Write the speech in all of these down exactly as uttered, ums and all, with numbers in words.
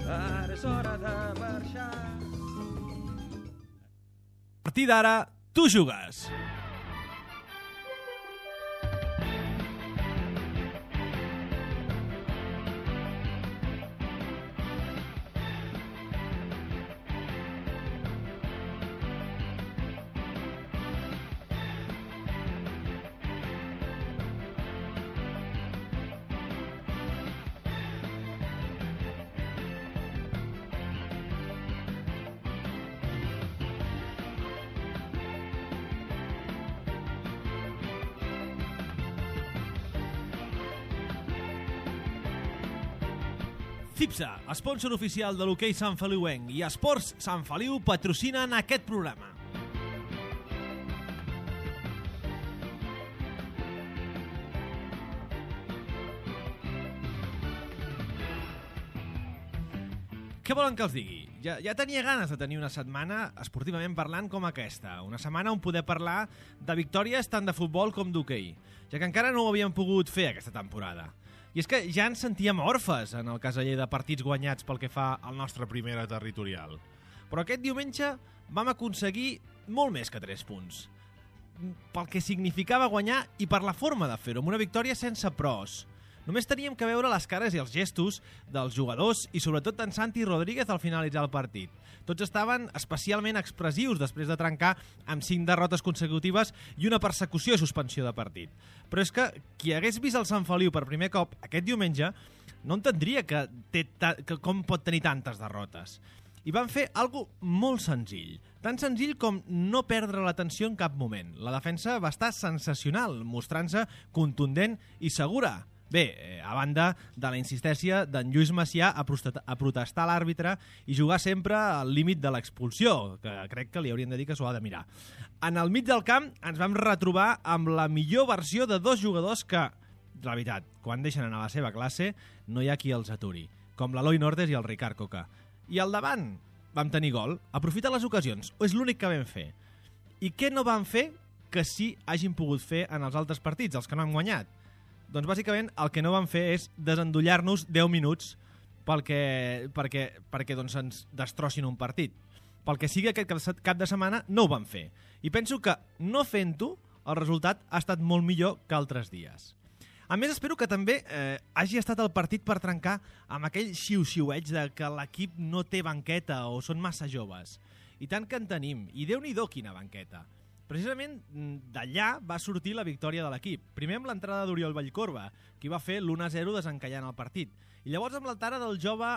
ara és hora de marxar. A partir d'ara, tu jugues. CIPSA, sponsor oficial de l'hoquei Sant Feliuenc, i Esports Sant Feliu patrocinen aquest programa. Què volen que els digui? Ja, ja tenia ganes de tenir una setmana, esportivament parlant, com aquesta. Una setmana on poder parlar de victòries tant de futbol com d'hoquei, ja que encara no ho havíem pogut fer aquesta temporada. I és que ja ens sentíem orfes en el caseller de partits guanyats pel que fa al nostre primera territorial. Però aquest diumenge vam aconseguir molt més que tres punts. Pel que significava guanyar i per la forma de fer-ho, amb una victòria sense pros. Només teníem que veure les cares i els gestos dels jugadors i sobretot d'en Santi Rodríguez al finalitzar el partit. Tots estaven especialment expressius després de trencar amb cinc derrotes consecutives i una persecució i suspensió de partit. Però és que qui hagués vist el Sant Feliu per primer cop aquest diumenge no entendria que, té ta que com pot tenir tantes derrotes. I van fer algo molt senzill. Tan senzill com no perdre l'atenció en cap moment. La defensa va estar sensacional, mostrant-se contundent i segura. Bé, a banda de la insistència d'en Lluís Macià a protestar l'àrbitre i jugar sempre al límit de l'expulsió, que crec que li haurien de dir que s'ho ha de mirar. En el mig del camp ens vam retrobar amb la millor versió de dos jugadors que, la veritat, quan deixen anar a la seva classe, no hi ha qui els aturi, com l'Eloi Nortes i el Ricard Coca. I al davant vam tenir gol, aprofitar les ocasions, o és l'únic que vam fer. I què no vam fer que sí hagin pogut fer en els altres partits, els que no han guanyat? Doncs bàsicament el que no van fer és desendollar-nos deu minuts perquè, perquè, perquè doncs ens destrossin un partit. Pel que sigui aquest cap de setmana no ho van fer. I penso que no fent-ho el resultat ha estat molt millor que altres dies. A més, espero que també eh, hagi estat el partit per trencar amb aquell xiu-xiueig de que l'equip no té banqueta o són massa joves. I tant que en tenim. I Déu-n'hi-do quina banqueta. Precisament d'allà va sortir la victòria de l'equip. Primer amb l'entrada d'Oriol Vallcorba, qui va fer l'u a zero desencallant el partit. I llavors amb l'altara del jove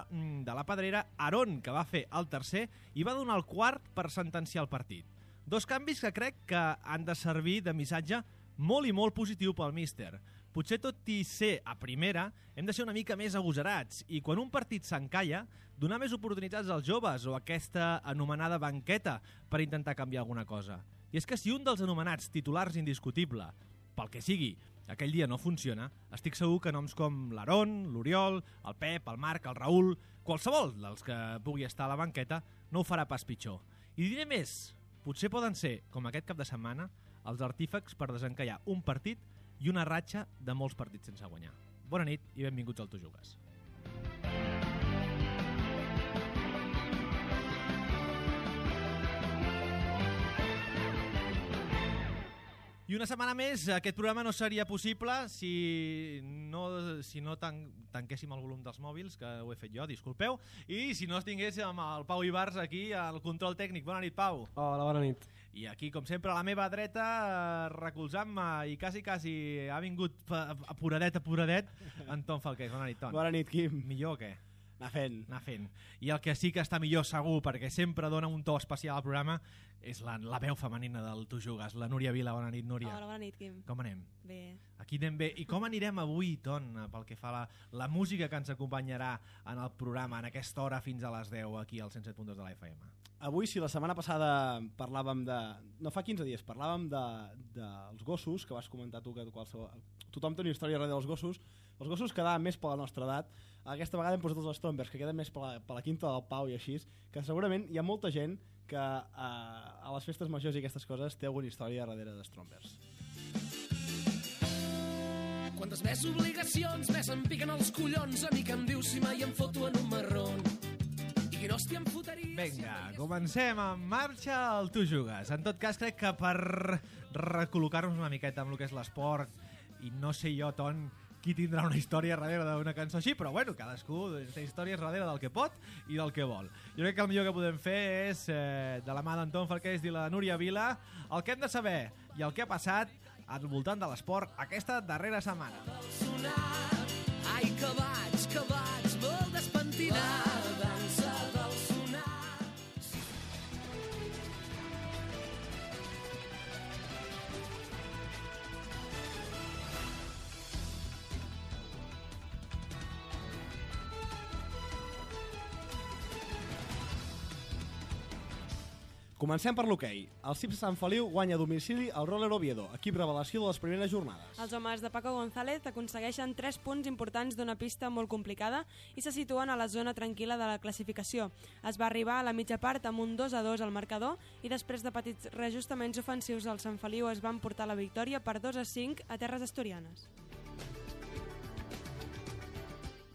de la Pedrera, Aarón, que va fer el tercer i va donar el quart per sentenciar el partit. Dos canvis que crec que han de servir de missatge molt i molt positiu pel míster. Potser tot i ser a primera, hem de ser una mica més agosarats i quan un partit s'encalla, donar més oportunitats als joves o aquesta anomenada banqueta per intentar canviar alguna cosa. I és que si un dels anomenats titulars indiscutible, pel que sigui, aquell dia no funciona, estic segur que noms com l'Aarón, l'Oriol, el Pep, el Marc, el Raül, qualsevol dels que pugui estar a la banqueta, no ho farà pas pitjor. I diré més, potser poden ser, com aquest cap de setmana, els artífecs per desencallar un partit i una ratxa de molts partits sense guanyar. Bona nit i benvinguts al Tu Jugues. I una setmana més, aquest programa no seria possible si no, si no tan, tanquéssim el volum dels mòbils, que ho he fet jo, disculpeu, i si no tingués amb el Pau Ibars aquí al control tècnic. Bona nit, Pau. Hola, bona nit. I aquí, com sempre, a la meva dreta, recolzant-me i quasi, quasi ha vingut apuradet, apuradet, en Ton Falqués. Bona nit, Ton. Bona nit, Quim. Millor o què? Anar fent. Anar fent. I el que sí que està millor segur, perquè sempre dona un to especial al programa, és la, la veu femenina del Tu Jugues, la Núria Vila. Bona nit, Núria. Hola, bona nit, Quim. Com anem? Bé. Aquí anem bé. I com anirem avui, Ton, pel que fa a la, la música que ens acompanyarà en el programa, en aquesta hora fins a les deu, aquí al cent set punt dos de la F M? Avui, si la setmana passada parlàvem de... No fa quinze dies, parlàvem dels de, de gossos, que vas comentar tu, que qualsevol, tothom té una història darrere dels gossos. Els gossos quedaven més per la nostra edat. Aquesta vegada hem posat els Strombers, que queden més per la, per la quinta del Pau i així, que segurament hi ha molta gent que eh, a les festes majors i aquestes coses té alguna història darrere de Strombers. Quantes més obligacions, més em piquen els collons. A mi que em dius si mai em foto en un marrón. Però hòstia, em fotria... Vinga, comencem en marxa el Tu Jugues. En tot cas, crec que per recol·locar-nos una miqueta amb el que és l'esport, i no sé jo, Ton, qui tindrà una història darrere d'una cançó així, però bueno, cadascú té històries darrere del que pot i del que vol. Jo crec que el millor que podem fer és, eh, de la mà d'Anton Falqués i la Núria Vila, el que hem de saber i el que ha passat al voltant de l'esport aquesta darrera setmana. Ai, que vaig, que vaig, molt despentinat. Dansa del sonar. Comencem per l'hoquei. El C I P Sant Feliu guanya a domicili el Roller Oviedo, equip revelació de les primeres jornades. Els homes de Paco González aconsegueixen tres punts importants d'una pista molt complicada i se situen a la zona tranquil·la de la classificació. Es va arribar a la mitja part amb un dos a dos al marcador i després de petits reajustaments ofensius el Sant Feliu es van portar la victòria per dos a cinc a terres asturianes.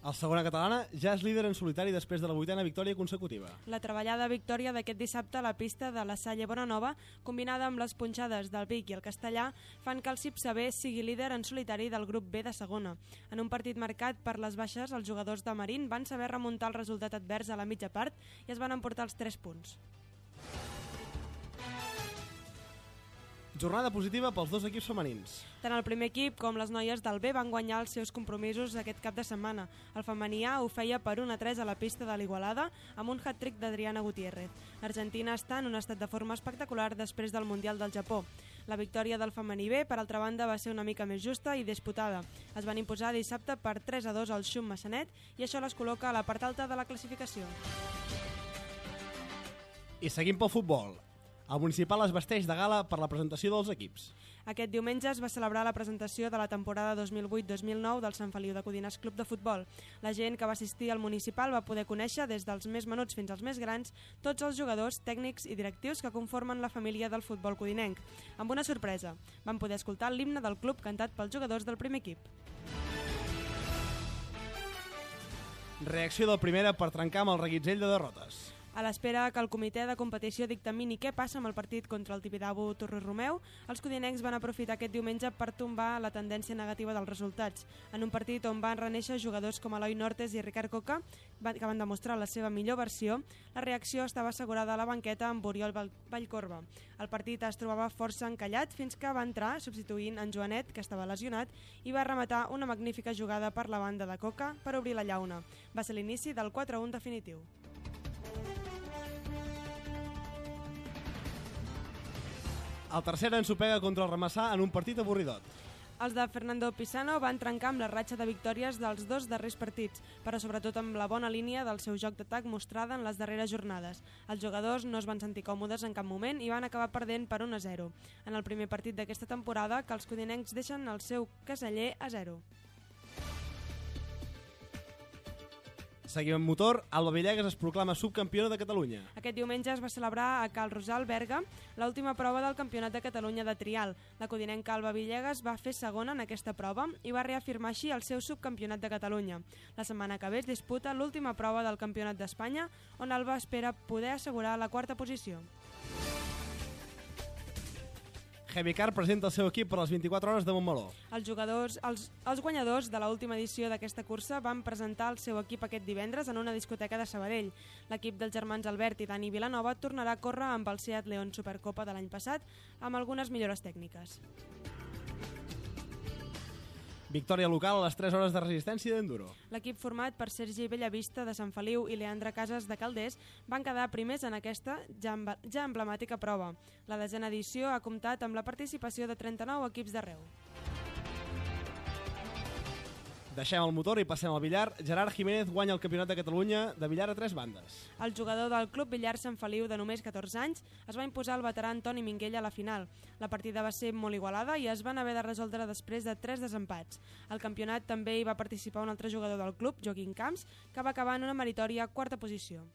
El segona catalana ja és líder en solitari després de la vuitena victòria consecutiva. La treballada victòria d'aquest dissabte a la pista de la Salle Bonanova, combinada amb les punxades del Vic i el Castellà, fan que el C I P C B sigui líder en solitari del grup B de segona. En un partit marcat per les baixes, els jugadors de Marín van saber remuntar el resultat advers a la mitja part i es van emportar els tres punts. Jornada positiva pels dos equips femenins. Tant el primer equip com les noies del B van guanyar els seus compromisos aquest cap de setmana. El femení A ho feia per un a tres a la pista de l'Igualada amb un hat-trick d'Adriana Gutiérrez. L'Argentina està en un estat de forma espectacular després del Mundial del Japó. La victòria del femení B, per altra banda, va ser una mica més justa i disputada. Es van imposar dissabte per tres a dos al Xum Massanet i això les col·loca a la part alta de la classificació. I seguim pel futbol. El municipal es vesteix de gala per la presentació dels equips. Aquest diumenge es va celebrar la presentació de la temporada dos mil vuit dos mil nou del Sant Feliu de Codines Club de Futbol. La gent que va assistir al municipal va poder conèixer, des dels més menuts fins als més grans, tots els jugadors, tècnics i directius que conformen la família del futbol codinenc. Amb una sorpresa, van poder escoltar l'himne del club cantat pels jugadors del primer equip. Reacció del Primera per trencar amb el reguitzell de derrotes. A l'espera que el comitè de competició dictamini què passa amb el partit contra el Tibidabo Torres Romeu, els codinencs van aprofitar aquest diumenge per tombar la tendència negativa dels resultats. En un partit on van reneixer jugadors com Eloi Nortes i Ricard Coca, que van demostrar la seva millor versió, la reacció estava assegurada a la banqueta amb Oriol Vallcorba. El partit es trobava força encallat fins que va entrar substituint en Joanet, que estava lesionat, i va rematar una magnífica jugada per la banda de Coca per obrir la llauna. Va ser l'inici del quatre a un definitiu. El tercer ensopega contra el Ramassà en un partit avorridot. Els de Fernando Pisano van trencar amb la ratxa de victòries dels dos darrers partits, però sobretot amb la bona línia del seu joc d'atac mostrada en les darreres jornades. Els jugadors no es van sentir còmodes en cap moment i van acabar perdent per un a zero. En el primer partit d'aquesta temporada, que els codinencs deixen el seu caseller a zero. Seguim amb motor, Alba Villegas es proclama subcampiona de Catalunya. Aquest diumenge es va celebrar a Cal Rosal, Berga, l'última prova del Campionat de Catalunya de trial. La codinenca Alba Villegas va fer segona en aquesta prova i va reafirmar així el seu subcampionat de Catalunya. La setmana que ve es disputa l'última prova del Campionat d'Espanya, on Alba espera poder assegurar la quarta posició. Heavycar presenta el seu equip per les vint-i-quatre hores de Montmeló. Els jugadors, els, els guanyadors de l'última edició d'aquesta cursa van presentar el seu equip aquest divendres en una discoteca de Sabadell. L'equip dels germans Albert i Dani Vilanova tornarà a córrer amb el Seat León Supercopa de l'any passat amb algunes millores tècniques. Victòria local a les tres hores de resistència d'enduro. L'equip format per Sergi Bellavista de Sant Feliu i Leandre Casas de Calders van quedar primers en aquesta ja, ja emblemàtica prova. La desena edició ha comptat amb la participació de trenta-nou equips d'arreu. Deixem el motor i passem al billar. Gerard Jiménez guanya el Campionat de Catalunya de billar a tres bandes. El jugador del Club Billar Sant Feliu de només catorze anys es va imposar al veterà Antoni Minguell a la final. La partida va ser molt igualada i es van haver de resoldre després de tres desempats. Al campionat també hi va participar un altre jugador del club, Joaquín Camps, que va acabar en una meritòria quarta posició.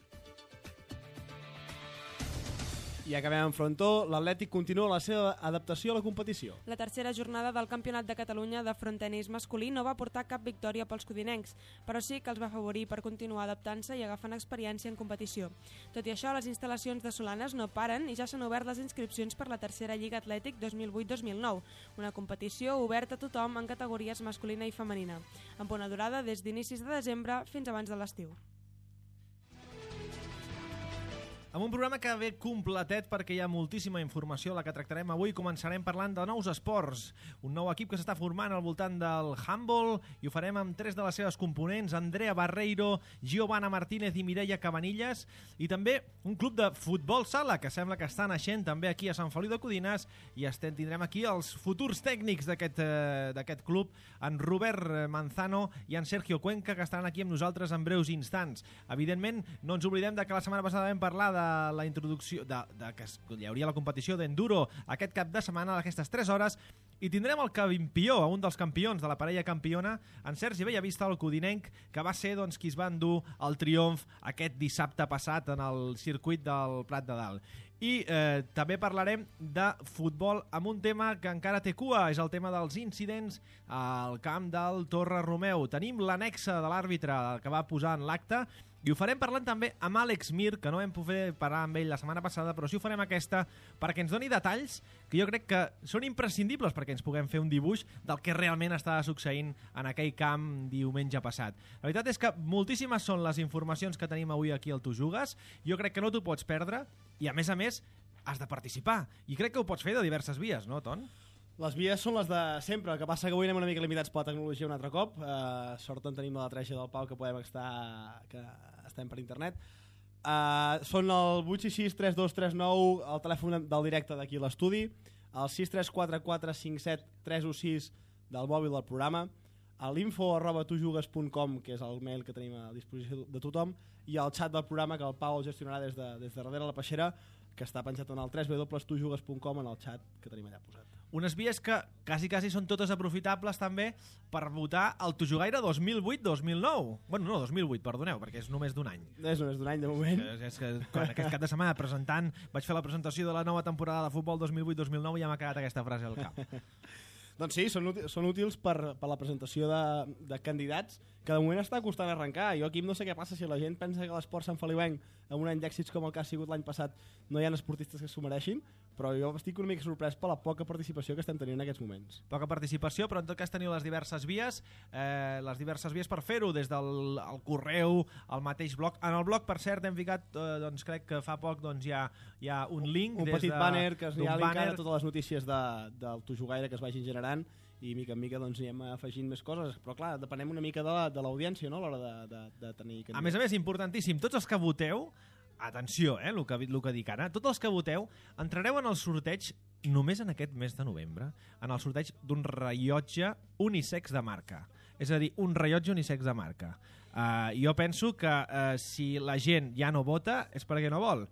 I acabem en frontó. L'Atlètic continua la seva adaptació a la competició. La tercera jornada del Campionat de Catalunya de frontenis masculí no va portar cap victòria pels codinencs, però sí que els va afavorir per continuar adaptant-se i agafant experiència en competició. Tot i això, les instal·lacions de Solanes no paren i ja s'han obert les inscripcions per la tercera Lliga Atlètic dos mil vuit dos mil nou, una competició oberta a tothom en categories masculina i femenina, amb una durada des d'inicis de desembre fins abans de l'estiu. Amb un programa que ve completet perquè hi ha moltíssima informació la que tractarem avui. Començarem parlant de nous esports, un nou equip que s'està formant al voltant del handball, i ho farem amb tres de les seves components, Andrea Barreiro, Giovanna Martínez i Mireia Cabanillas, i també un club de futbol sala que sembla que està naixent també aquí a Sant Feliu de Codines, i estem, tindrem aquí els futurs tècnics d'aquest eh, d'aquest club, en Robert Manzano i en Sergio Cuenca, que estaran aquí amb nosaltres en breus instants. Evidentment, no ens oblidem de que la setmana passada vam parlar de la introducció de, de que hi hauria la competició d'enduro aquest cap de setmana a aquestes tres hores, i tindrem el campió, un dels campions de la parella campiona, en Sergi Bellavista, el codinenc, que va ser doncs, qui es va endur el triomf aquest dissabte passat en el circuit del Prat de Dalt. I eh, també parlarem de futbol amb un tema que encara té cua, és el tema dels incidents al camp del Torre Romeu. Tenim l'anexa de l'àrbitre que va posar en l'acte, i ho farem parlant també amb Àlex Mir, que no vam poder parlar amb ell la setmana passada, però sí ho farem aquesta perquè ens doni detalls que jo crec que són imprescindibles perquè ens puguem fer un dibuix del que realment estava succeint en aquell camp diumenge passat. La veritat és que moltíssimes són les informacions que tenim avui aquí al Tu Jugues. Jo crec que no t'ho pots perdre, i a més a més has de participar, i crec que ho pots fer de diverses vies, no, Ton? Les vies són les de sempre, el que passa que avui anem una mica limitats per la tecnologia un altre cop. Uh, sort en tenim la treixa del Pau que podem estar, que estem per internet. Uh, són el vuit sis sis tres dos tres nou, el telèfon del directe d'aquí a l'estudi, el sis tres quatre quatre cinc set tres un sis del mòbil del programa, l'info arroba tujugues punt com, que és el mail que tenim a disposició de tothom, i el xat del programa que el Pau el gestionarà des de, des de darrere la peixera, que està penjat en el w w w punt tujugues punt com en el xat que tenim allà posat. Unes vies que quasi, quasi són totes aprofitables també per votar el Tujugaire dos mil vuit dos mil nou. Bueno, no, dos mil vuit, perdoneu, perquè és només d'un any. És només d'un any, de moment. És, és que quan aquest cap de setmana presentant vaig fer la presentació de la nova temporada de futbol dos mil vuit dos mil nou i ja m'ha quedat aquesta frase al cap. Doncs sí, són, útils, són útils per, per la presentació de, de candidats, que de moment està costant arrencar. Jo aquí no sé què passa si la gent pensa que l'esport santfeliuenc, amb un any d'èxits com el que ha sigut l'any passat, no hi ha esportistes que s'ho mereixin, però jo estic una mica sorprès per la poca participació que estem tenint en aquests moments. Poca participació, però en tot cas teniu les diverses vies, eh, les diverses vies per fer-ho, des del el correu, el mateix blog. En el blog, per cert, hem ficat, eh, doncs crec que fa poc doncs, hi, ha, hi ha un link. Un des petit de, banner que es ha banner... totes les notícies de, del Tujugaire que es vagin generant, i mica en mica doncs anem afegint més coses, però clar, depenem una mica de l'audiència, no?, a l'hora de, de, de tenir... A més a més, importantíssim, tots els que voteu, atenció, eh, el que, el que dic ara, tots els que voteu entrareu en el sorteig només en aquest mes de novembre, en el sorteig d'un rellotge unisex de marca. És a dir, un rellotge unisex de marca. Uh, jo penso que uh, si la gent ja no vota és perquè no vol.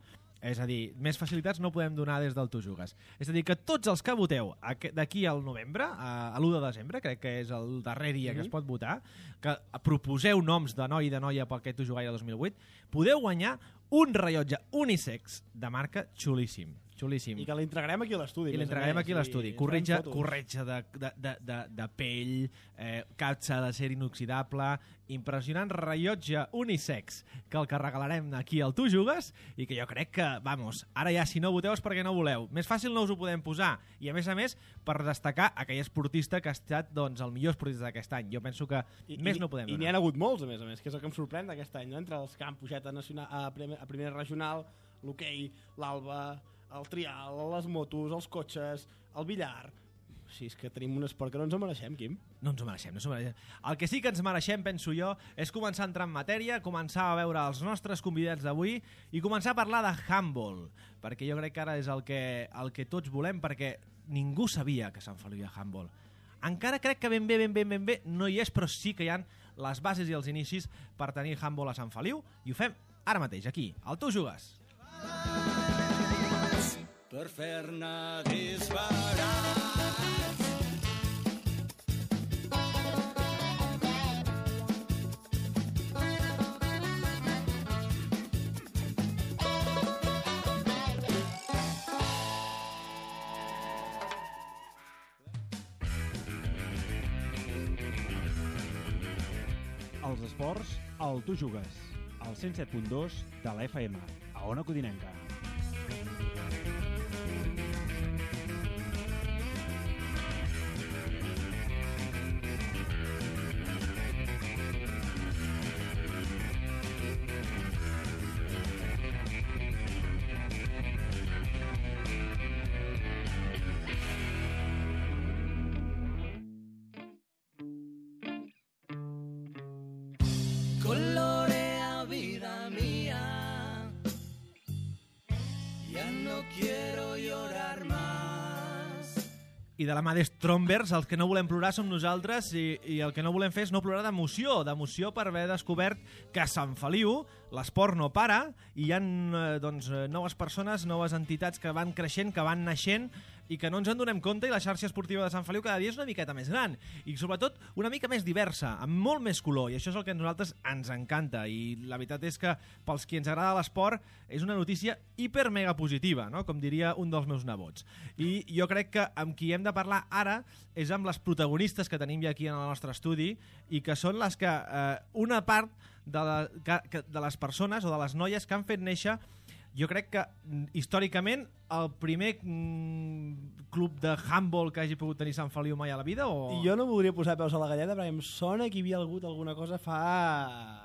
És a dir, més facilitats no podem donar des del Tu Jugues. És a dir, que tots els que voteu d'aquí al novembre, a l'u de desembre, crec que és el darrer dia mm-hmm. que es pot votar, que proposeu noms de noi i de noia pel aquest Tu Jugaire dos mil vuit, podeu guanyar un rellotge unisex de marca xulíssim. Xulíssim. I que l'entregarem aquí a l'estudi. I l'entregarem aquí a l'estudi. Corretja, corretja de, de, de, de, de pell, eh, capsa d'acer inoxidable, impressionant rellotge unisex, que el que regalarem aquí al Tu Jugues, i que jo crec que, vamos, ara ja si no voteu és perquè no voleu. Més fàcil no us ho podem posar. I a més a més, per destacar aquell esportista que ha estat doncs, el millor esportista d'aquest any. Jo penso que I, més i, no podem donar. I n'hi ha hagut molts, a més a més, que és el que em sorprèn d'aquest any, no? Entre els que han pujat a, nacional, a, primer, a primera regional, l'hoquei, l'Alba, el trial, les motos, els cotxes, el billar... Sí, és que tenim un esport que no ens ho mereixem, Quim. No ens ho mereixem, no ens ho mereixem. El que sí que ens mereixem, penso jo, és començar a entrar en matèria, començar a veure els nostres convidats d'avui i començar a parlar de handball, perquè jo crec que ara és el que, el que tots volem, perquè ningú sabia que Sant Feliu hi ha handball. Encara crec que ben bé, ben bé, ben bé no hi és, però sí que hi ha les bases i els inicis per tenir handball a Sant Feliu, i ho fem ara mateix, aquí, al Tu Jugues. Per fer-ne disparar. dels esports al Tu Jugues, al cent set punt dos de la F M, a Ona Codinenca. Colorea vida mía, ya no quiero llorar más. I de la mà d'Strombers, els que no volem plorar som nosaltres i, i el que no volem fer és no plorar d'emoció, d'emoció per haver descobert que a Sant Feliu l'esport no para i hi ha eh, doncs, noves persones, noves entitats que van creixent, que van naixent i que no ens en donem compte, i la xarxa esportiva de Sant Feliu cada dia és una miqueta més gran i sobretot una mica més diversa, amb molt més color, i això és el que a nosaltres ens encanta, i la veritat és que pels qui ens agrada l'esport és una notícia hiper mega positiva, no? Com diria un dels meus nebots. I jo crec que amb qui hem de parlar ara és amb les protagonistes que tenim ja aquí en el nostre estudi i que són les que eh, una part de, la, que, de les persones o de les noies que han fet néixer, jo crec que històricament el primer mm, club de handball que hagi pogut tenir Sant Feliu mai a la vida, o... I jo no voldria posar peus a la galleda perquè em sona que hi havia hagut alguna cosa fa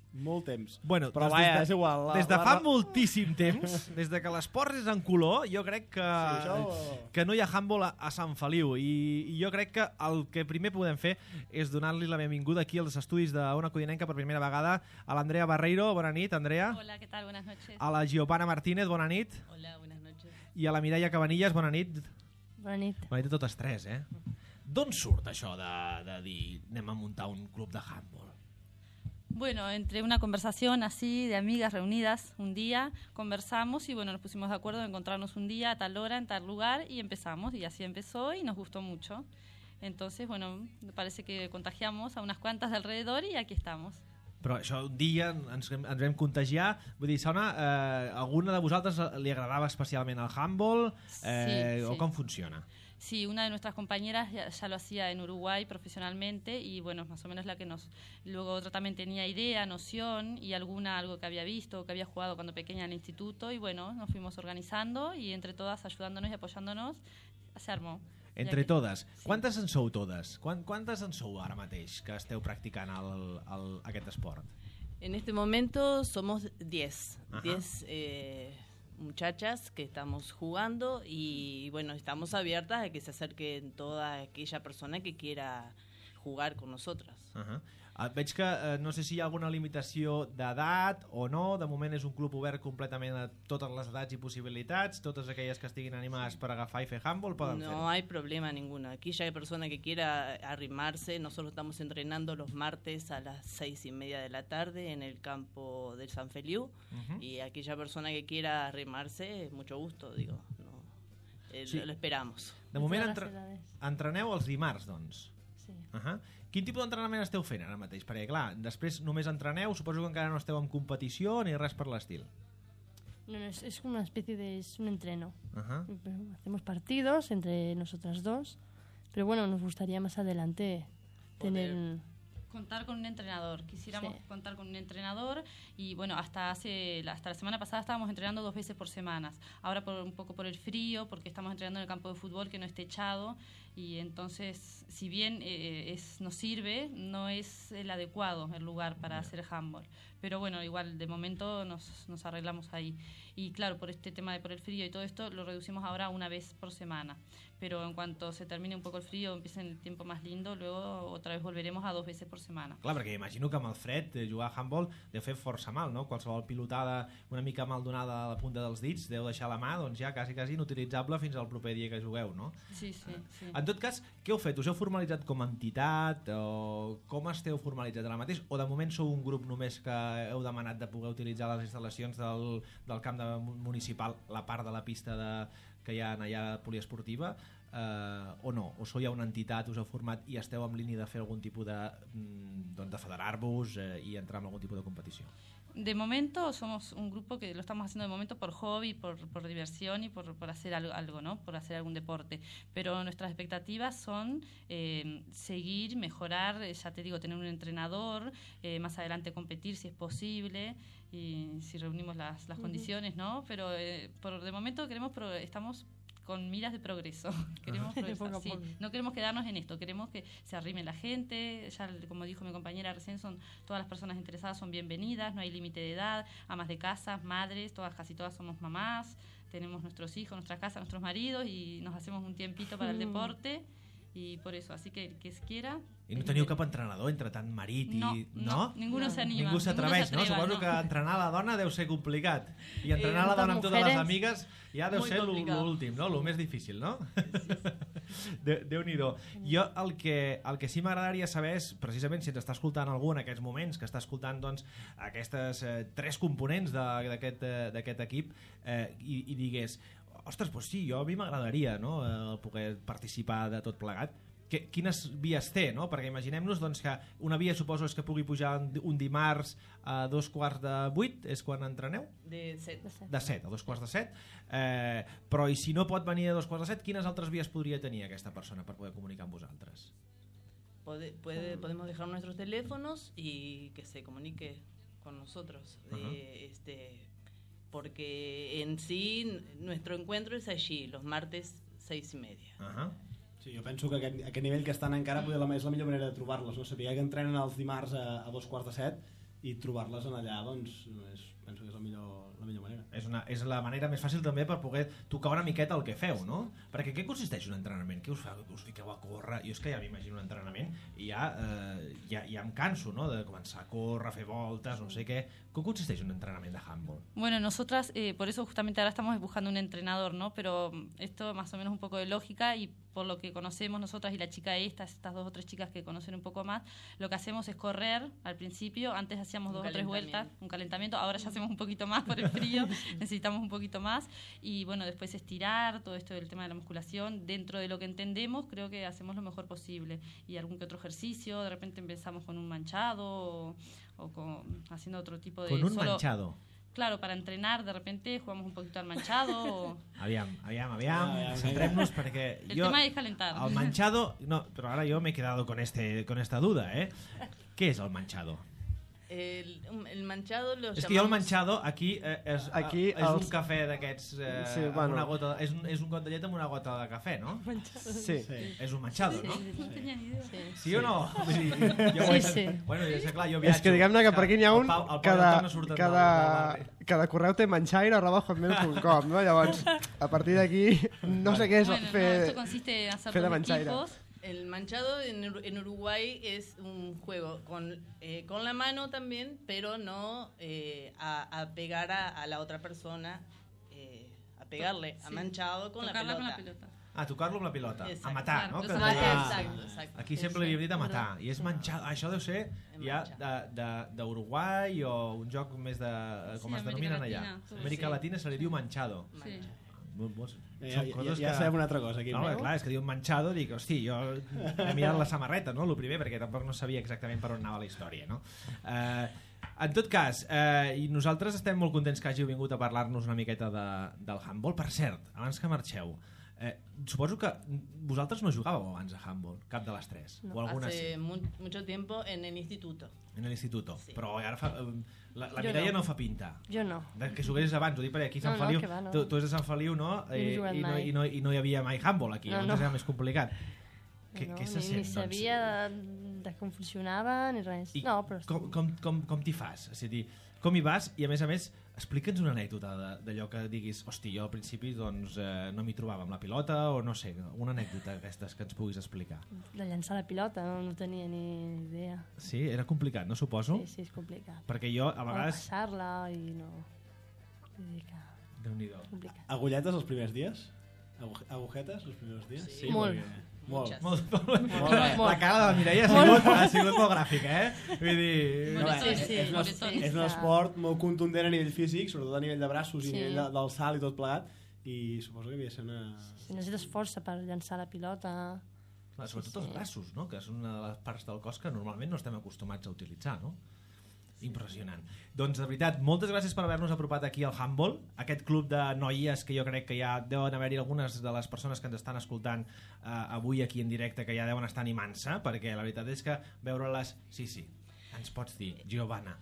molt temps. Bueno, però doncs vaja, des de, és igual. La, des de la, fa la... moltíssim temps, des de que l'esport és en color, jo crec que, Sí, això... que no hi ha handball a, a Sant Feliu, i, i jo crec que el que primer podem fer és donar-li la benvinguda aquí als estudis d'Ona Codinenca per primera vegada a l'Andrea Barreiro. Bona nit, Andrea. Hola, ¿qué tal? Buenas noches. A la Giovanna Martínez, bona nit. Hola, buenas noches. I a la Mireia Cabanillas, bona nit. Bona nit. Bona nit a totes tres, eh? D'on surt això de, de dir anem a muntar un club de handball? Bueno, entre una conversación así de amigas reunidas un día, conversamos y bueno, nos pusimos de acuerdo en encontrarnos un día a tal hora, en tal lugar, y empezamos, y así empezó y nos gustó mucho. Entonces, bueno, parece que contagiamos a unas cuantas de alrededor y aquí estamos. Però això un dia ens, ens vam contagiar. Vull dir, Sona, eh, alguna de vosaltres li agradava especialment el handball? Eh, Sí, o sí. com funciona? Sí, una de nuestras compañeras ya, ya lo hacía en Uruguay profesionalmente y bueno, más o menos la que nos... Luego otra también tenía idea, noción y alguna algo que había visto, que había jugado cuando pequeña en el instituto, y bueno, nos fuimos organizando y entre todas ayudándonos y apoyándonos se armó. Entre Ja que- totes. Sí. Quantes en sou totes? Quan, quantes en sou ara mateix que esteu practicant el, el, aquest esport? En este momento somos diez, Ajá. diez eh, muchachas que estamos jugando y bueno, estamos abiertas a que se acerquen toda aquella persona que quiera jugar con nosotras. Uh -huh. uh, veig que uh, no sé si hi ha alguna limitació d'edat o no. De moment és un club obert completament a totes les edats i possibilitats. Totes aquelles que estiguin animades per agafar i fer handball poden fer-ho. No hay problema ninguno. Aquella persona que quiera arrimarse, nosotros estamos entrenando los martes a las seis y media de la tarde en el campo del San Feliu. Uh-huh. Y aquella persona que quiera arrimarse, mucho gusto, digo. No, eh, Sí. lo, lo esperamos. De moment entre... entreneu els dimarts, doncs. Sí. Uh -huh. Quin tipus d'entrenament esteu fent ara mateix? Perquè, clar, després només entreneu, suposo que encara no esteu en competició ni res per l'estil. No, no, es, es una especie de es un entreno. Uh -huh. Hacemos partidos entre nosotras dos, pero bueno, nos gustaría más adelante tener un... Contar con un entrenador. Quisiéramos Sí. contar con un entrenador y bueno, hasta hace hasta la semana pasada estábamos entrenando dos veces por semana. Ahora por un poco por el frío, porque estamos entrenando en el campo de fútbol que no es techado, y entonces si bien eh, es nos sirve, no es el adecuado el lugar para hacer handball. Pero bueno, igual de momento nos, nos arreglamos ahí. Y claro, por este tema de por el frío y todo esto, lo reducimos ahora a una vez por semana. Pero en cuanto se termine un poco el frío, empiece el tiempo más lindo, luego otra vez volveremos a dos veces por semana. Clar, perquè imagino que amb el fred eh, jugar a handball deu fer força mal, no? Qualsevol pilotada una mica mal donada a la punta dels dits deu deixar la mà, doncs ja quasi, quasi inutilitzable fins al proper dia que jugueu, no? Sí, sí, sí. En tot cas, què heu fet? Us heu formalitzat com a entitat? O com esteu formalitzat ara mateix? O de moment sou un grup només que heu demanat de poder utilitzar les instal·lacions del, del camp de municipal, la part de la pista de, que hi ha allà poliesportiva? Eh, o no? O sou ja una entitat, us heu format i esteu en línia de fer algun tipus de, mm, doncs de federar-vos eh, i entrar en algun tipus de competició? De momento somos un grupo que lo estamos haciendo de momento por hobby, por, por diversión y por, por hacer algo, algo, ¿no? Por hacer algún deporte. Pero nuestras expectativas son eh, seguir, mejorar, eh, ya te digo, tener un entrenador, eh, más adelante competir si es posible y si reunimos las, las uh-huh. condiciones, ¿no? Pero eh, por de momento queremos, pro, estamos con miras de progreso. Queremos progresar, sí. No queremos quedarnos en esto, queremos que se arrime la gente. Ya, como dijo mi compañera recién, son todas las personas interesadas son bienvenidas, no hay límite de edad, amas de casa, madres, todas, casi todas somos mamás, tenemos nuestros hijos, nuestra casa, nuestros maridos y nos hacemos un tiempito para el deporte. Y por eso, así que el que quiera... I no teniu cap entrenador entre tant marit i... No, no, no? Ningú no s'anima. Ningú s'atreveix, no? Suposo no. que entrenar la dona deu ser complicat. I entrenar eh, la dona amb totes les amigues ja deu ser l'últim, no? El més difícil, no? De, Déu-n'hi-do. Jo el que, el que sí m'agradaria saber és, precisament, si ens està escoltant algú en aquests moments, que està escoltant doncs, aquestes eh, tres components d'aquest eh, equip eh, i, i digués, ostres, doncs sí, jo a mi m'agradaria, no?, eh, poder participar de tot plegat. Que, quines vies té, no? Perquè imaginem-nos doncs, que una via suposo és que pugui pujar un dimarts a dos quarts de vuit, és quan entreneu? De set. De set, a dos quarts de set. Eh, però i si no pot venir a dos quarts de set, quines altres vies podria tenir aquesta persona per poder comunicar amb vosaltres? Puede, puede, podemos dejar nuestros teléfonos y que se comunique con nosotros. Uh-huh. eh, este, porque en sí nuestro encuentro es allí, los martes seis y media. Ajá. Uh-huh. Sí, jo penso que aquest, aquest nivell que estan encara poder la, és la millor manera de trobar-les, no? Saber que entrenen els dimarts a, a dos quarts de set i trobar-les en allà, doncs és, penso que és la millor, la millor manera. És, una, és la manera més fàcil també per poder tocar una miqueta el que feu, no? Perquè què consisteix un entrenament? Què us fa? Us fiqueu a córrer? Jo és que ja m'imagino un entrenament i ja, eh, ja, ja em canso, no?, de començar a córrer, a fer voltes, no sé què. ¿Cómo consiste un entrenamiento de handball? Bueno, nosotras, eh, por eso justamente ahora estamos buscando un entrenador, ¿no? Pero esto más o menos un poco de lógica y por lo que conocemos nosotras y la chica esta, estas dos o tres chicas que conocen un poco más, lo que hacemos es correr al principio, antes hacíamos dos o tres vueltas, un calentamiento, ahora ya hacemos un poquito más por el frío, necesitamos un poquito más y bueno, después estirar, todo esto del tema de la musculación, dentro de lo que entendemos, creo que hacemos lo mejor posible y algún que otro ejercicio, de repente empezamos con un manchado o, o con, haciendo otro tipo de... Con un solo, manchado. Claro, para entrenar, de repente jugamos un poquito al manchado. O... Aviam, aviam, aviam, centrem-nos perquè... El jo, tema es calentar. El manchado... No, pero ahora yo me he quedado con, este, con esta duda, ¿eh? ¿Qué es el manchado? El, el manchado lo és llamamos... que jo el manchado aquí eh, és, aquí és els... un cafè d'aquests eh, sí, amb bueno. una gota, és, un, és un got de llet amb una gota de cafè, no? Sí. sí. És un manchado, sí, no? Sí, no tenia ni idea. Sí, sí o no? Sí, jo sí, sí. Bueno, jo sé, clar, jo viatjo. És que diguem-ne que per aquí n'hi ha un, el Pau, el Pau cada, no cada, cada correu té manchaire arroba hotmail punt com, no? Llavors, a partir d'aquí, no sé què és bueno, fer, no, esto consiste en hacer fer de dos manchaire. equipos. El manchado en, en Uruguay es un juego con, eh, con la mano también, pero no eh, a, a pegar a, a la otra persona, eh, a pegarle sí. a manchado con la, con la pelota. Ah, tocar-lo amb la pilota. Exacte. A matar, Claro, no? Que ah, deia, exacte, exacte. aquí sempre li havíem dit a matar. I és manchado. Això deu ser ja d'Uruguai o un joc més de... com sí, es denominen allà. Amèrica sí. Latina se li diu manchado. Sí. Ja, ja, ja, ja sabem una altra cosa aquí. No, no? Clar, és que diu manchado, dic, hosti, jo he mirat la samarreta, no?, el primer, perquè tampoc no sabia exactament per on anava la història, no? Eh, en tot cas, eh, i nosaltres estem molt contents que hàgiu vingut a parlar-nos una miqueta de, del handball. Per cert, abans que marxeu, eh, suposo que vosaltres no jugàveu abans a handball, cap de les tres, no, o alguna hace sí? mu mucho tiempo en el instituto. En el instituto, sí. Però ara fa... Eh, La, la Mireia no. no fa pinta. Jo no. De que juguessis abans, ho dic perquè aquí a Sant no, Feliu... No, va, no. tu, tu és de Sant Feliu, no? Eh, i, no, i, no I no hi havia mai handball aquí, no, no. Era més complicat. Què, no, què se ni, sent, ni sabia doncs? de, de com funcionava ni res. I no, però... com, com, com, com t'hi fas? És a dir, com hi vas? I a més a més, explica'ns una anècdota d'allò que diguis, hosti, jo al principi doncs, eh, no m'hi trobava amb la pilota, o no sé, una anècdota d'aquestes que ens puguis explicar. De llançar la pilota, no, no tenia ni idea. Sí, era complicat, no suposo? Sí, sí, és complicat. Perquè jo a vegades... O passar-la i no... Vull dir que... Déu-n'hi-do. Complicat. Agulletes els primers dies? Agujetes els primers dies? Sí, sí molt. Perquè... Molt. Molt, molt, molt. molt. La cara de la Mireia ha sigut, ha sigut molt gràfica, eh? Vull dir... No, sí, sí, és, un, sí, és un esport molt contundent a nivell físic, sobretot a nivell de braços sí. i a nivell de, del salt i tot plegat, i suposo que havia de ser una... Sí, necessites força per llançar la pilota. Clar, sobretot sí. els braços, no? Que és una de les parts del cos que normalment no estem acostumats a utilitzar, no? Impressionant. Doncs, de veritat, moltes gràcies per haver-nos apropat aquí al Handball, aquest club de noies que jo crec que ja deuen haver-hi algunes de les persones que ens estan escoltant eh, avui aquí en directe, que ja deuen estar animant-se, perquè la veritat és que veure-les... Sí, sí, ens pots dir, Giovanna.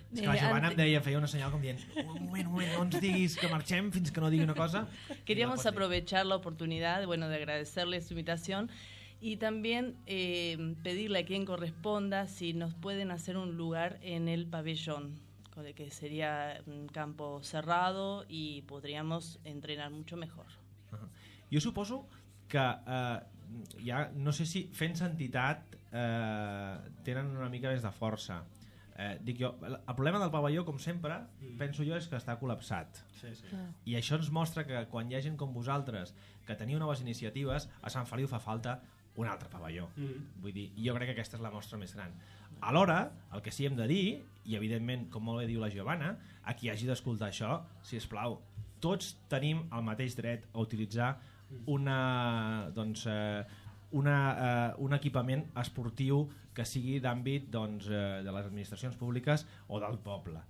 És que la Giovanna em deia, feia una senyal com dient un moment, un moment, no ens diguis que marxem fins que no digui una cosa. Queríamos aprovechar la oportunidad, bueno, de agradecerle su invitación y también eh, pedirle a quien corresponda si nos pueden hacer un lugar en el pabellón, que sería un campo cerrado y podríamos entrenar mucho mejor. Uh-huh. Jo suposo que eh, ja, no sé si fent entitat eh, tenen una mica més de força. Eh, dic jo, el problema del pavelló, com sempre, mm. penso jo, és que està col·lapsat. Sí, sí. Ah. I això ens mostra que quan hi ha gent com vosaltres que teniu noves iniciatives, a Sant Feliu fa falta un altre pavelló. Mm. Vull dir, jo crec que aquesta és la mostra més gran. Alhora, el que sí hem de dir, i evidentment, com molt bé diu la Giovanna, a qui hagi d'escoltar això, si us plau, tots tenim el mateix dret a utilitzar una, doncs, eh, una, eh, un equipament esportiu que sigui d'àmbit doncs, eh, de les administracions públiques o del poble.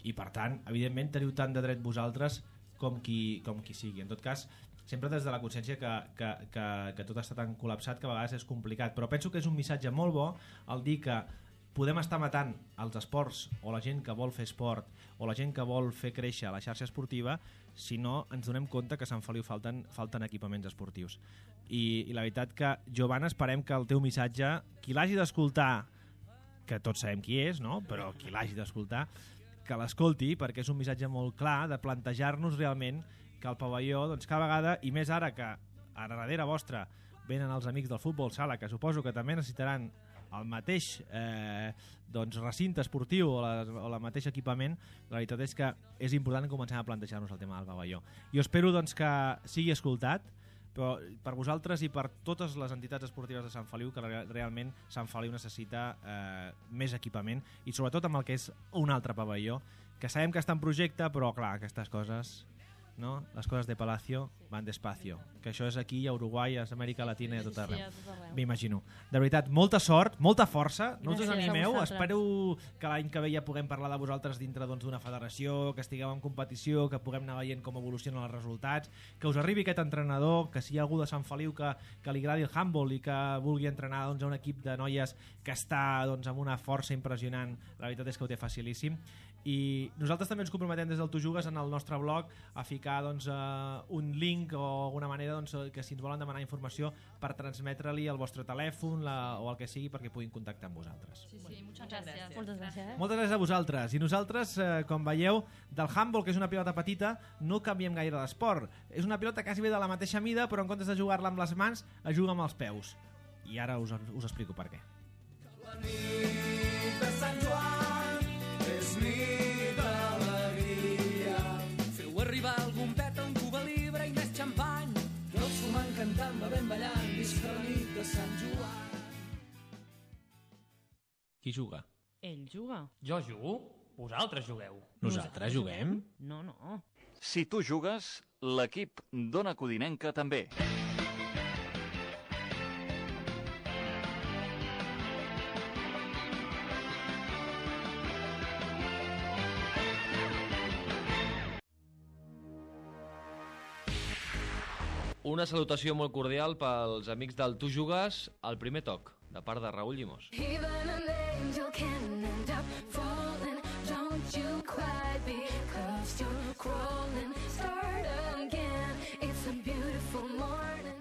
I per tant, evidentment, teniu tant de dret vosaltres com qui, com qui sigui. En tot cas, sempre des de la consciència que, que, que, que tot està tan col·lapsat que a vegades és complicat, però penso que és un missatge molt bo el dir que podem estar matant els esports o la gent que vol fer esport o la gent que vol fer créixer la xarxa esportiva si no ens donem compte que a Sant Feliu falten, falten equipaments esportius. I, i la veritat que, Giovanna, esperem que el teu missatge, qui l'hagi d'escoltar, que tots sabem qui és, no? Però qui l'hagi d'escoltar, que l'escolti, perquè és un missatge molt clar de plantejar-nos realment que el pavelló, doncs cada vegada, i més ara que a darrere vostra venen els amics del futbol sala, que suposo que també necessitaran el mateix eh, doncs, recinte esportiu o, la, o el mateix equipament, la veritat és que és important que comencem a plantejar-nos el tema del pavelló. Jo espero doncs, que sigui escoltat, però per vosaltres i per totes les entitats esportives de Sant Feliu, que realment Sant Feliu necessita eh, més equipament i sobretot amb el que és un altre pavelló, que sabem que està en projecte, però clar, aquestes coses... No? Les coses de Palacio van despacio, que això és aquí a Uruguai, a Amèrica Latina i a tot arreu, sí, sí, m'imagino. De veritat, molta sort, molta força, no us Gràcies desanimeu, a vosaltres. espero que l'any que ve ja puguem parlar de vosaltres dintre doncs, d'una federació, que estigueu en competició, que puguem anar veient com evolucionen els resultats, que us arribi aquest entrenador, que si hi ha algú de Sant Feliu que, que li agradi el handball i que vulgui entrenar doncs, a un equip de noies que està doncs, amb una força impressionant, la veritat és que ho té facilíssim. I nosaltres també ens comprometem des del Tu Jugues en el nostre blog a ficar doncs, uh, un link o alguna manera doncs, que si ens volen demanar informació per transmetre-li el vostre telèfon la, o el que sigui perquè puguin contactar amb vosaltres. Sí, sí, muchas gracias. Moltes gràcies. Moltes gràcies a vosaltres. I nosaltres, eh, com veieu, del handball, que és una pilota petita, no canviem gaire d'esport. És una pilota quasi bé de la mateixa mida, però en comptes de jugar-la amb les mans, es juga amb els peus. I ara us, us explico per què. La nit de Sant Joan és nit d'alegria. Feu arribar algun peta, un cuba libre i més xampany. Tots fumant, cantant, bevent, ballant, visca la nit de Sant Joan. Qui juga? Ell juga. Jo jugo? Vosaltres jugueu. Nosaltres juguem? No, no. Si tu jugues, l'equip d'Ona Codinenca també. Una salutació molt cordial pels amics del Tu Jugues al primer toc, de part de Raül Llimós. Even an angel can end up falling. Don't you cry because you're crawling. Start again. It's a beautiful morning.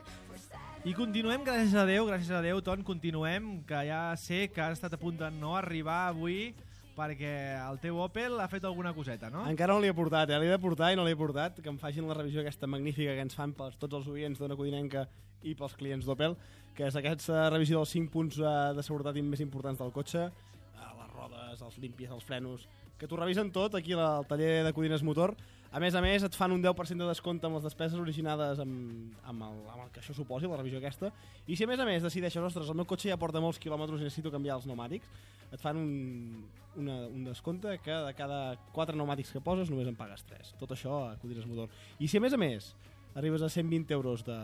I continuem, gràcies a Déu, gràcies a Déu, Ton, continuem, que ja sé que has estat a punt de no arribar avui perquè el teu Opel ha fet alguna coseta, no? Encara no l'hi he portat, eh? L'he de portar i no l'he portat, que em facin la revisió aquesta magnífica que ens fan per tots els oients d'Ona Codinenca i pels clients d'Opel, que és aquesta revisió dels cinc punts de seguretat més importants del cotxe, les rodes, els límpies, els frenos, que t'ho revisen tot aquí al taller de Codines Motor. A més a més, et fan un deu per cent de descompte amb les despeses originades amb, amb, el, amb el que això suposi, la revisió aquesta. I si a més a més decideixes, ostres, el meu cotxe ja porta molts quilòmetres i necessito canviar els pneumàtics, et fan un, una, un descompte que de cada quatre pneumàtics que poses només en pagues tres. Tot això a Codines Motor. I si a més a més arribes a cent vint euros de,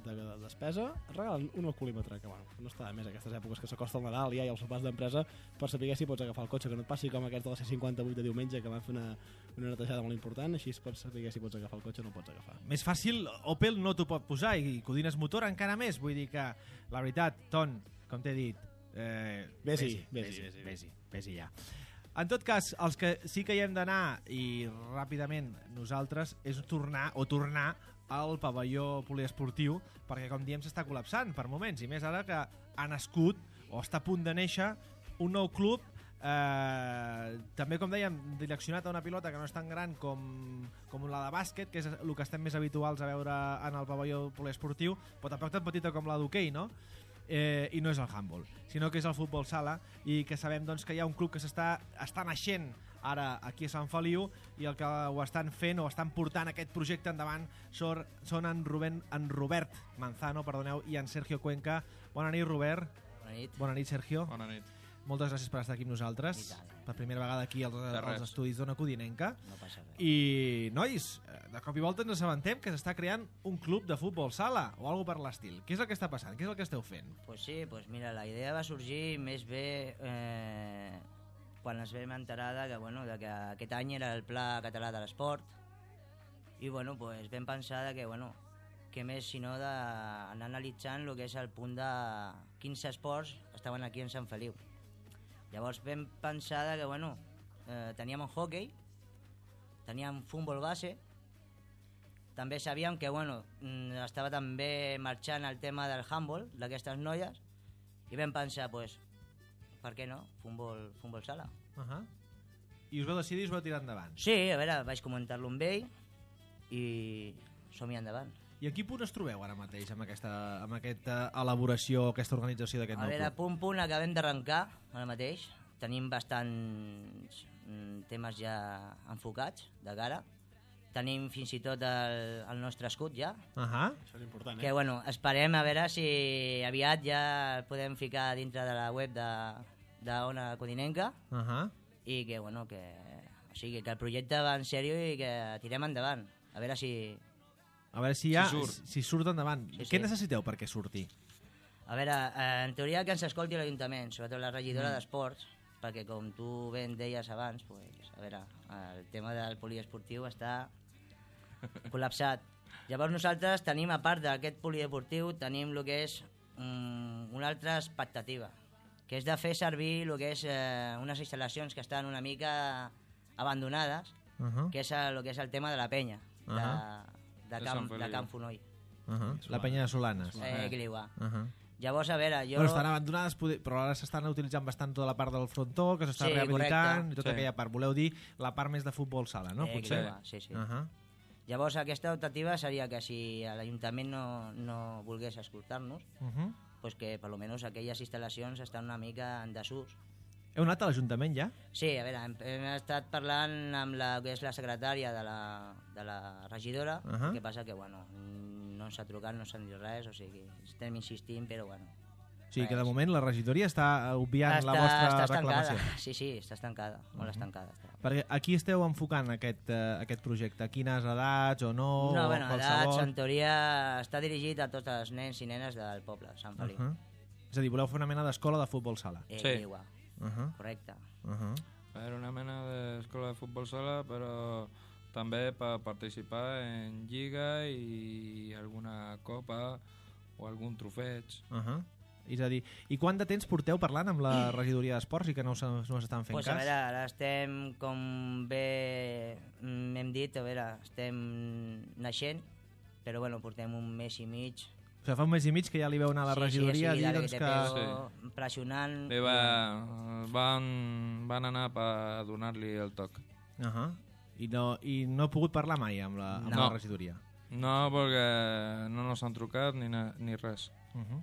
de, de despesa et regalen un alcoholímetre, que bueno, no està de més aquestes èpoques que s'acosta el Nadal ja i els sopars d'empresa per saber si pots agafar el cotxe, que no et passi com aquest de la C cinquanta-vuit de diumenge que van fer una, una netejada molt important, així per saber si pots agafar el cotxe o no pots agafar. Més fàcil, Opel no t'ho pot posar i Codines Motor encara més, vull dir que la veritat, Ton, com t'he dit, eh, Vés-hi, vés-hi, vés-hi, vés-hi, vés-hi ja. En tot cas, els que sí que hi hem d'anar i ràpidament nosaltres és tornar o tornar al pavelló poliesportiu perquè, com diem, s'està col·lapsant per moments i més ara que ha nascut o està a punt de néixer un nou club eh, també, com dèiem, direccionat a una pilota que no és tan gran com, com la de bàsquet, que és el que estem més habituals a veure en el pavelló poliesportiu, però tampoc tan petita com la d'hoquei, no? Eh, i no és el handball, sinó que és el futbol sala i que sabem doncs, que hi ha un club que s'està està naixent ara aquí a Sant Feliu i el que ho estan fent o estan portant aquest projecte endavant són, són en, Rubén, en Robert Manzano perdoneu, i en Sergio Cuenca. Bona nit, Robert. Bona nit. Bona nit, Sergio. Bona nit. Moltes gràcies per estar aquí amb nosaltres. Per primera vegada aquí als, als estudis d'Ona Codinenca. No passa res. I, nois, de cop i volta ens assabentem que s'està creant un club de futbol sala o alguna per l'estil. Què és el que està passant? Què és el que esteu fent? Pues sí, pues mira, la idea va sorgir més bé eh, quan ens vam enterar de que, bueno, de que aquest any era el Pla Català de l'Esport i bueno, pues vam pensar de que, bueno, que més sinó d'anar analitzant el que és el punt de quins esports estaven aquí en Sant Feliu. Llavors vam pensar de que, bueno, eh, teníem un hockey, teníem futbol base, també sabíem que, bueno, estava també marxant el tema del handball, d'aquestes noies, i vam pensar, pues, per què no? Futbol, futbol sala. Uh -huh. I us vau decidir i us vau tirar endavant. Sí, a veure, vaig comentar-lo amb ell i som-hi endavant. I a quin punt es trobeu ara mateix amb aquesta, amb aquesta elaboració, aquesta organització d'aquest nou club? A veure, club? punt, punt, acabem d'arrencar ara mateix. Tenim bastants mm, temes ja enfocats de cara. Tenim fins i tot el, el nostre escut ja. Uh -huh. Això és important, eh? Que, bueno, esperem a veure si aviat ja el podem ficar dintre de la web de, de Ona Codinenca. Uh -huh. I que, bueno, que, o sigui, que el projecte va en sèrio i que tirem endavant. A veure si... A veure si ja si surt, si surt endavant. Sí, Què sí. necessiteu perquè surti? A veure, eh, en teoria que ens escolti l'Ajuntament, sobretot la regidora Mm. d'Esports, perquè com tu ben deies abans, pues, a veure, el tema del poliesportiu està col·lapsat. Llavors nosaltres tenim, a part d'aquest poliesportiu, tenim el que és um, una altra expectativa, que és de fer servir el que és eh, unes instal·lacions que estan una mica abandonades, Uh -huh. que és el que és el tema de la penya, Uh de, -huh. de, De camp, Sant Feliu. de Camp Fonoll. Uh -huh. La penya de Solanes. Eh, que li va. Uh -huh. Llavors, a veure, jo... Bueno, estan abandonades, però ara s'estan utilitzant bastant tota la part del frontó, que s'està Sí, rehabilitant, correcte. i tota Sí. aquella part. Voleu dir la part més de futbol sala, no? Eh, Potser? que li va, sí, sí. Uh -huh. Llavors, aquesta optativa seria que si l'Ajuntament no, no volgués escoltar-nos, Uh -huh. pues que per almenys aquelles instal·lacions estan una mica en desús. Heu anat a l'Ajuntament ja? Sí, a veure, hem, hem estat parlant amb la que és la secretària de la, de la regidora, Uh-huh. el que passa que, bueno, no ens ha trucat, no s'ha dit res, o sigui, estem insistint, però, bueno... O sigui que de moment la regidoria està obviant la vostra està reclamació. estancada. Sí, sí, està estancada, molt Uh-huh. estancada. Està. Perquè aquí esteu enfocant aquest, uh, aquest projecte? A quines edats o no? No, o bueno, qualsevol? edats, en teoria, està dirigit a tots els nens i nenes del poble, Sant Feliu. Uh -huh. És a dir, voleu fer una mena d'escola de futbol sala? Eh, Sí. igual. Uh -huh. Correcte. Uh -huh. Era una mena d'escola de futbol sala, però també per participar en lliga i alguna copa o algun trofeig. Uh -huh. És a dir, i quant de temps porteu parlant amb la regidoria d'esports i que no, no s'estan fent Pues cas? a veure, ara estem, com bé hem dit, a veure, estem naixent, però bueno, portem un mes i mig. O sigui, fa un mes i mig que ja li veu anar a la Sí, regidoria sí, sí, a dir dale doncs, que que... te pego, pressionant. Bé, va, van, van anar per donar-li el toc. Uh -huh. I, no, I no he pogut parlar mai amb la, amb No. la regidoria? No, perquè no nos han trucat ni, na- ni res. Uh -huh.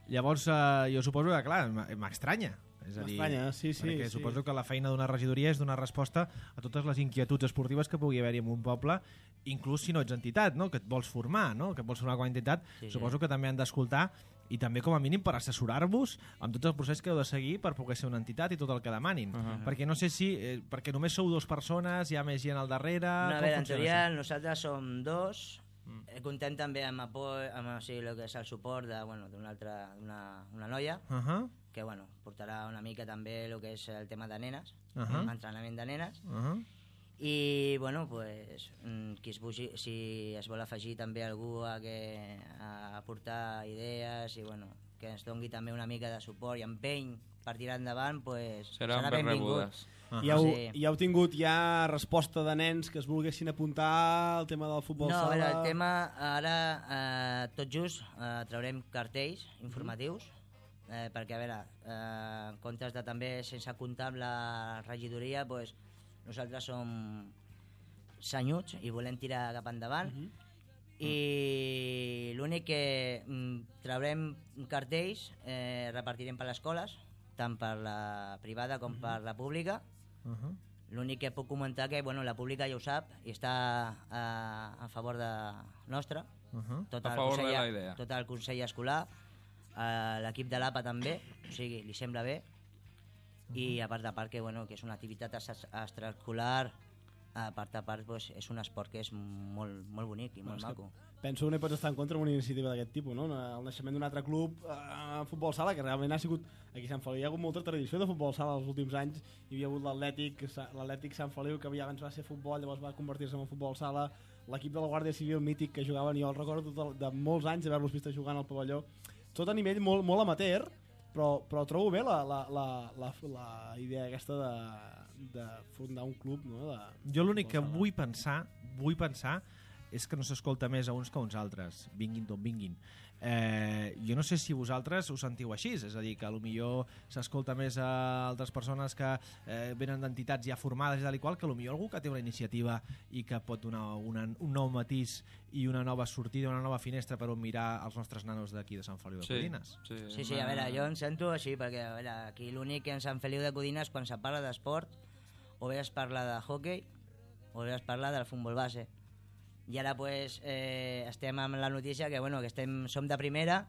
Llavors, eh, jo suposo que, clar, m- m'estranya. És a dir, M'estranya, sí, sí, perquè sí. suposo que la feina d'una regidoria és donar resposta a totes les inquietuds esportives que pugui haver-hi en un poble, inclús si no ets entitat, no? Que et vols formar, no? Que et vols formar com a entitat. Sí, sí. Suposo que també han d'escoltar i també com a mínim per assessorar-vos amb tot el procés que heu de seguir per poder ser una entitat i tot el que demanin. Uh -huh. Perquè no sé si... Eh, perquè només sou dues persones, hi ha més gent al darrere... No, a com veure, en funciona teoria això? nosaltres som dos, Mm. Contem també amb, apoy, amb o sigui, el que és el suport de, bueno, d'una altra una, una noia, uh -huh. que bueno, portarà una mica també el que és el tema de nenes, uh -huh. entrenament de nenes. Uh -huh. I bueno, pues, qui es bugi, si es vol afegir també algú a, que, a aportar idees i bueno, que ens dongui també una mica de suport i empeny per tirar endavant, pues, Seran serà ben benvingut. rebudes. Uh-huh. I, heu, sí. I heu tingut ja resposta de nens que es volguessin apuntar al tema del futbol no, sala? No, a veure, el tema ara, eh, tot just, eh, traurem cartells informatius, eh, perquè a veure, eh, en comptes de també, sense comptar amb la regidoria, pues, nosaltres som senyuts i volem tirar cap endavant, uh-huh. i l'únic que mm, traurem cartells, eh, repartirem per les escoles, tant per la privada com uh-huh. per la pública. Uh-huh. L'únic que puc comentar que bueno, la pública ja ho sap i està a, a favor de nostra. Uh-huh. Tot a el favor consell, de la idea. tot el consell escolar, eh, l'equip de l'A P A també, o sigui, li sembla bé. Uh-huh. I a part de part que, bueno, que és una activitat extraescolar, a part a part pues, és un esport que és molt, molt bonic i molt bueno, maco. Penso que no hi pots estar en contra d'una iniciativa d'aquest tipus, no? El naixement d'un altre club, eh, futbol sala, que realment ha sigut... Aquí a Sant Feliu hi ha hagut molta tradició de futbol sala els últims anys. Hi havia hagut l'Atlètic, l'Atlètic Sant Feliu, que abans va ser futbol, llavors va convertir-se en futbol sala. L'equip de la Guàrdia Civil mític que jugaven, jo el recordo tot el, de molts anys d'haver-los vist jugant al pavelló. Tot a nivell molt, molt amateur, però, però trobo bé la, la, la, la, la idea aquesta de, de fundar un club, no? De, jo l'únic que vull pensar, vull pensar és que no s'escolta més a uns que a uns altres, vinguin d'on vinguin. Eh, jo no sé si vosaltres us sentiu així, és a dir, que potser s'escolta més a altres persones que eh, venen d'entitats ja formades i tal i qual, que potser algú que té una iniciativa i que pot donar una, un nou matís i una nova sortida, una nova finestra per on mirar els nostres nanos d'aquí de Sant Feliu de sí, Codines. Sí, sí, sí, a veure, jo em sento així, perquè a veure, aquí l'únic que en Sant Feliu de Codines, quan se parla d'esport, o bé es parla de hockey, o bé es parla del futbol base. I ara pues, eh, estem amb la notícia que, bueno, que estem, som de primera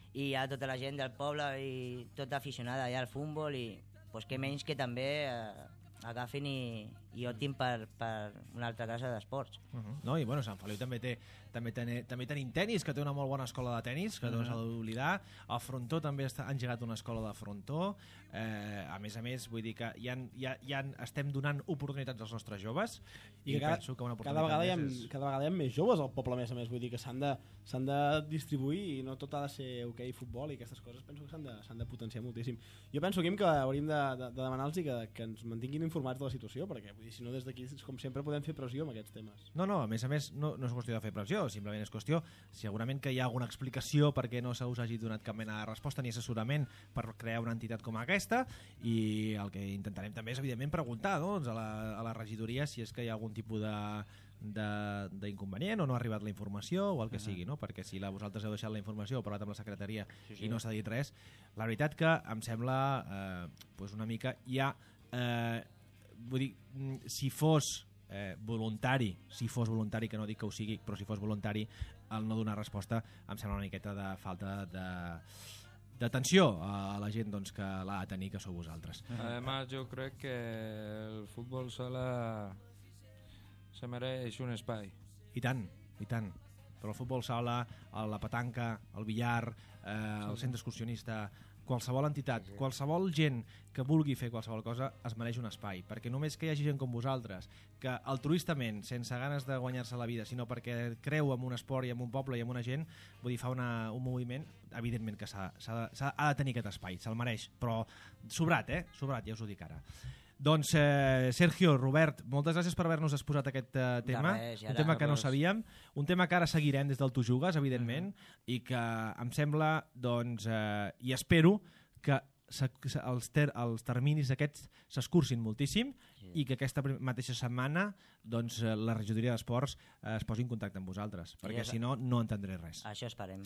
i hi ha tota la gent del poble i tota aficionada ja al futbol i pues, que menys que també eh, agafin i, i optin per, per una altra casa d'esports. Uh-huh. No, i bueno, Sant Feliu també té també, ten, també tenim tennis, que té una molt bona escola de tennis, que uh-huh. no s'ha d'oblidar. A Frontó també està, han engegat una escola de Frontó. Eh, a més a més, vull dir que ja, ja, ja estem donant oportunitats als nostres joves i, I cada, penso que una cada vegada, hi ha, és... cada vegada hi ha més joves al poble, a més a més, vull dir que s'han de, s'han de distribuir i no tot ha de ser hoquei, futbol i aquestes coses penso que s'han de, s'han de potenciar moltíssim. Jo penso, Quim, que hauríem de, de, de demanar-los que, que ens mantinguin informats de la situació, perquè vull dir, si no des d'aquí, com sempre, podem fer pressió amb aquests temes. No, no, a més a més, no, no és qüestió de fer pressió, simplement és qüestió, segurament que hi ha alguna explicació perquè no se us hagi donat cap mena de resposta ni assessorament per crear una entitat com aquesta, i el que intentarem també és, evidentment, preguntar doncs, a, la, a la regidoria si és que hi ha algun tipus de d'inconvenient o no ha arribat la informació o el que uh -huh. sigui, no? Perquè si la, vosaltres heu deixat la informació o parlat amb la secretaria sí, sí. i no s'ha dit res, la veritat que em sembla eh, pues una mica ja eh, vull dir, si fos eh, voluntari, si fos voluntari, que no dic que ho sigui, però si fos voluntari el no donar resposta em sembla una miqueta de falta de d'atenció a la gent doncs, que l'ha de tenir, que sou vosaltres. Además, yo creo que el fútbol sala se mereix un espai. I tant, i tant. Però el futbol sala, la petanca, el billar, eh, el centre excursionista, qualsevol entitat, qualsevol gent que vulgui fer qualsevol cosa es mereix un espai, perquè només que hi hagi gent com vosaltres que altruistament, sense ganes de guanyar-se la vida, sinó perquè creu en un esport i en un poble i en una gent, vull dir, fa una, un moviment, evidentment que s'ha, s'ha, s'ha, ha de tenir aquest espai, se'l mereix, però sobrat, eh? Sobrat, ja us ho dic ara. Doncs, eh, Sergio, Robert, moltes gràcies per haver-nos exposat aquest eh, tema, res, un tema que no sabíem, un tema que ara seguirem des del Tu Jugues, evidentment, uh -huh. i que em sembla, doncs, eh, i espero que els, ter els terminis aquests s'escurcin moltíssim sí. i que aquesta mateixa setmana doncs, la regidoria d'esports eh, es posi en contacte amb vosaltres, perquè si no, no entendré res. Això esperem.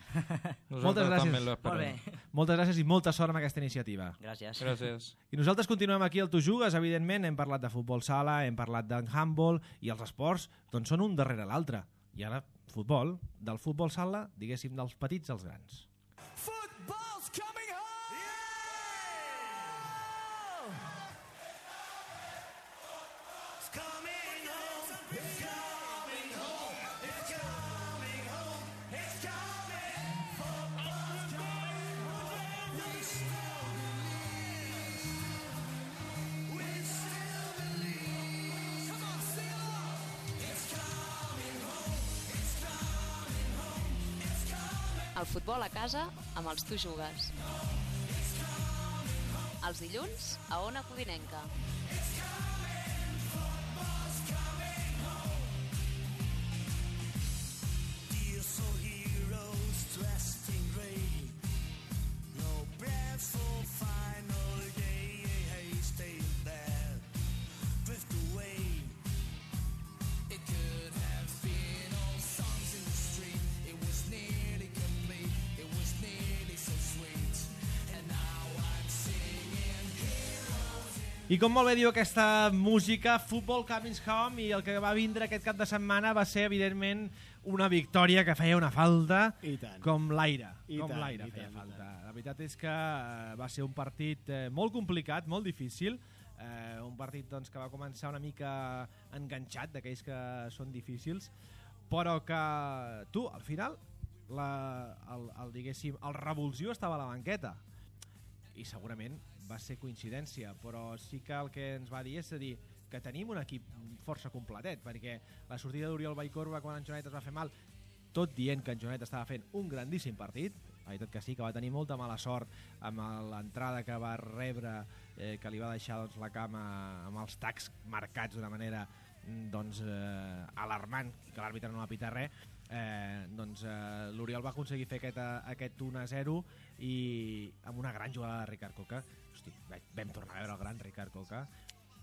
Moltes gràcies. Molt bé. Moltes gràcies i molta sort amb aquesta iniciativa. Gràcies. Gràcies. I nosaltres continuem aquí al Tu Jugues, evidentment, hem parlat de futbol sala, hem parlat del handball, i els esports doncs, són un darrere l'altre. I ara, futbol, del futbol sala, diguéssim, dels petits als grans. Football's coming home! It's coming home, it's coming home, it's coming El futbol a casa amb els Tu Jugues. Els dilluns a Ona Codinenca. I com molt bé diu aquesta música, Football Coming Home, i el que va vindre aquest cap de setmana va ser, evidentment, una victòria que feia una falta com l'aire. Com l'aire feia falta. La veritat és que va ser un partit molt complicat, molt difícil, eh, un partit doncs, que va començar una mica enganxat, d'aquells que són difícils, però que tu, al final, la, el, el, diguéssim, el revulsiu estava a la banqueta. I segurament va ser coincidència, però sí que el que ens va dir és a dir que tenim un equip força completet, perquè la sortida d'Oriol Vallcorba quan en Joanet es va fer mal, tot dient que en Joanet estava fent un grandíssim partit, la veritat que sí, que va tenir molta mala sort amb l'entrada que va rebre, eh, que li va deixar doncs, la cama amb els tacs marcats d'una manera doncs, eh, alarmant, que l'àrbitre no va pitar res. Eh, doncs eh, l'Oriol va aconseguir fer aquest, aquest un a zero i amb una gran jugada de Ricard Coca. Hosti, vam tornar a veure el gran Ricard Coca,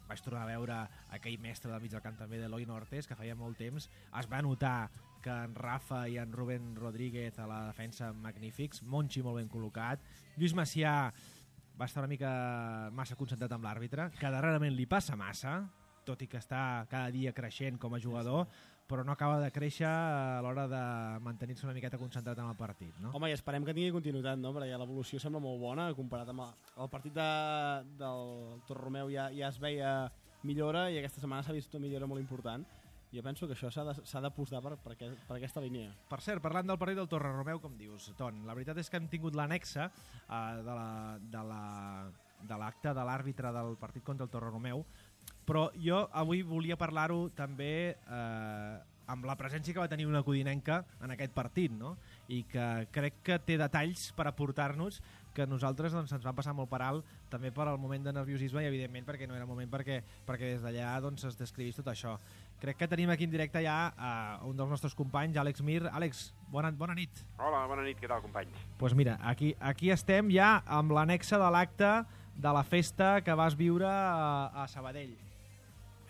vaig tornar a veure aquell mestre del mig del camp també d'Eloi Nortes, que feia molt temps. Es va notar que en Rafa i en Rubén Rodríguez a la defensa magnífics, Monchi molt ben col·locat, Lluís Macià va estar una mica massa concentrat amb l'àrbitre, que darrerament li passa massa, tot i que està cada dia creixent com a jugador, però no acaba de créixer a l'hora de mantenir-se una miqueta concentrat en el partit, no? Home, i esperem que tingui continuïtat, no? Perquè l'evolució sembla molt bona, comparat amb el, el partit de, del Torromeu ja, ja es veia millora, i aquesta setmana s'ha vist una millora molt important. Jo penso que això s'ha d'apostar per, per, per aquesta línia. Per cert, parlant del partit del Torreromeu, com dius, Ton, la veritat és que hem tingut l'anexa eh, de l'acte la, de, la, de l'àrbitre del partit contra el Torreromeu, però jo avui volia parlar-ho també eh, amb la presència que va tenir una codinenca en aquest partit, no? I que crec que té detalls per aportar-nos que nosaltres doncs, ens van passar molt per alt, també per al moment de nerviosisme i evidentment perquè no era moment perquè, perquè des d'allà doncs, es descrivís tot això. Crec que tenim aquí en directe ja uh, un dels nostres companys, Àlex Mir. Àlex, bona, bona nit. Hola, bona nit, què tal, companys? Doncs pues mira, aquí, aquí estem ja amb l'anexa de l'acte de la festa que vas viure a, a Sabadell.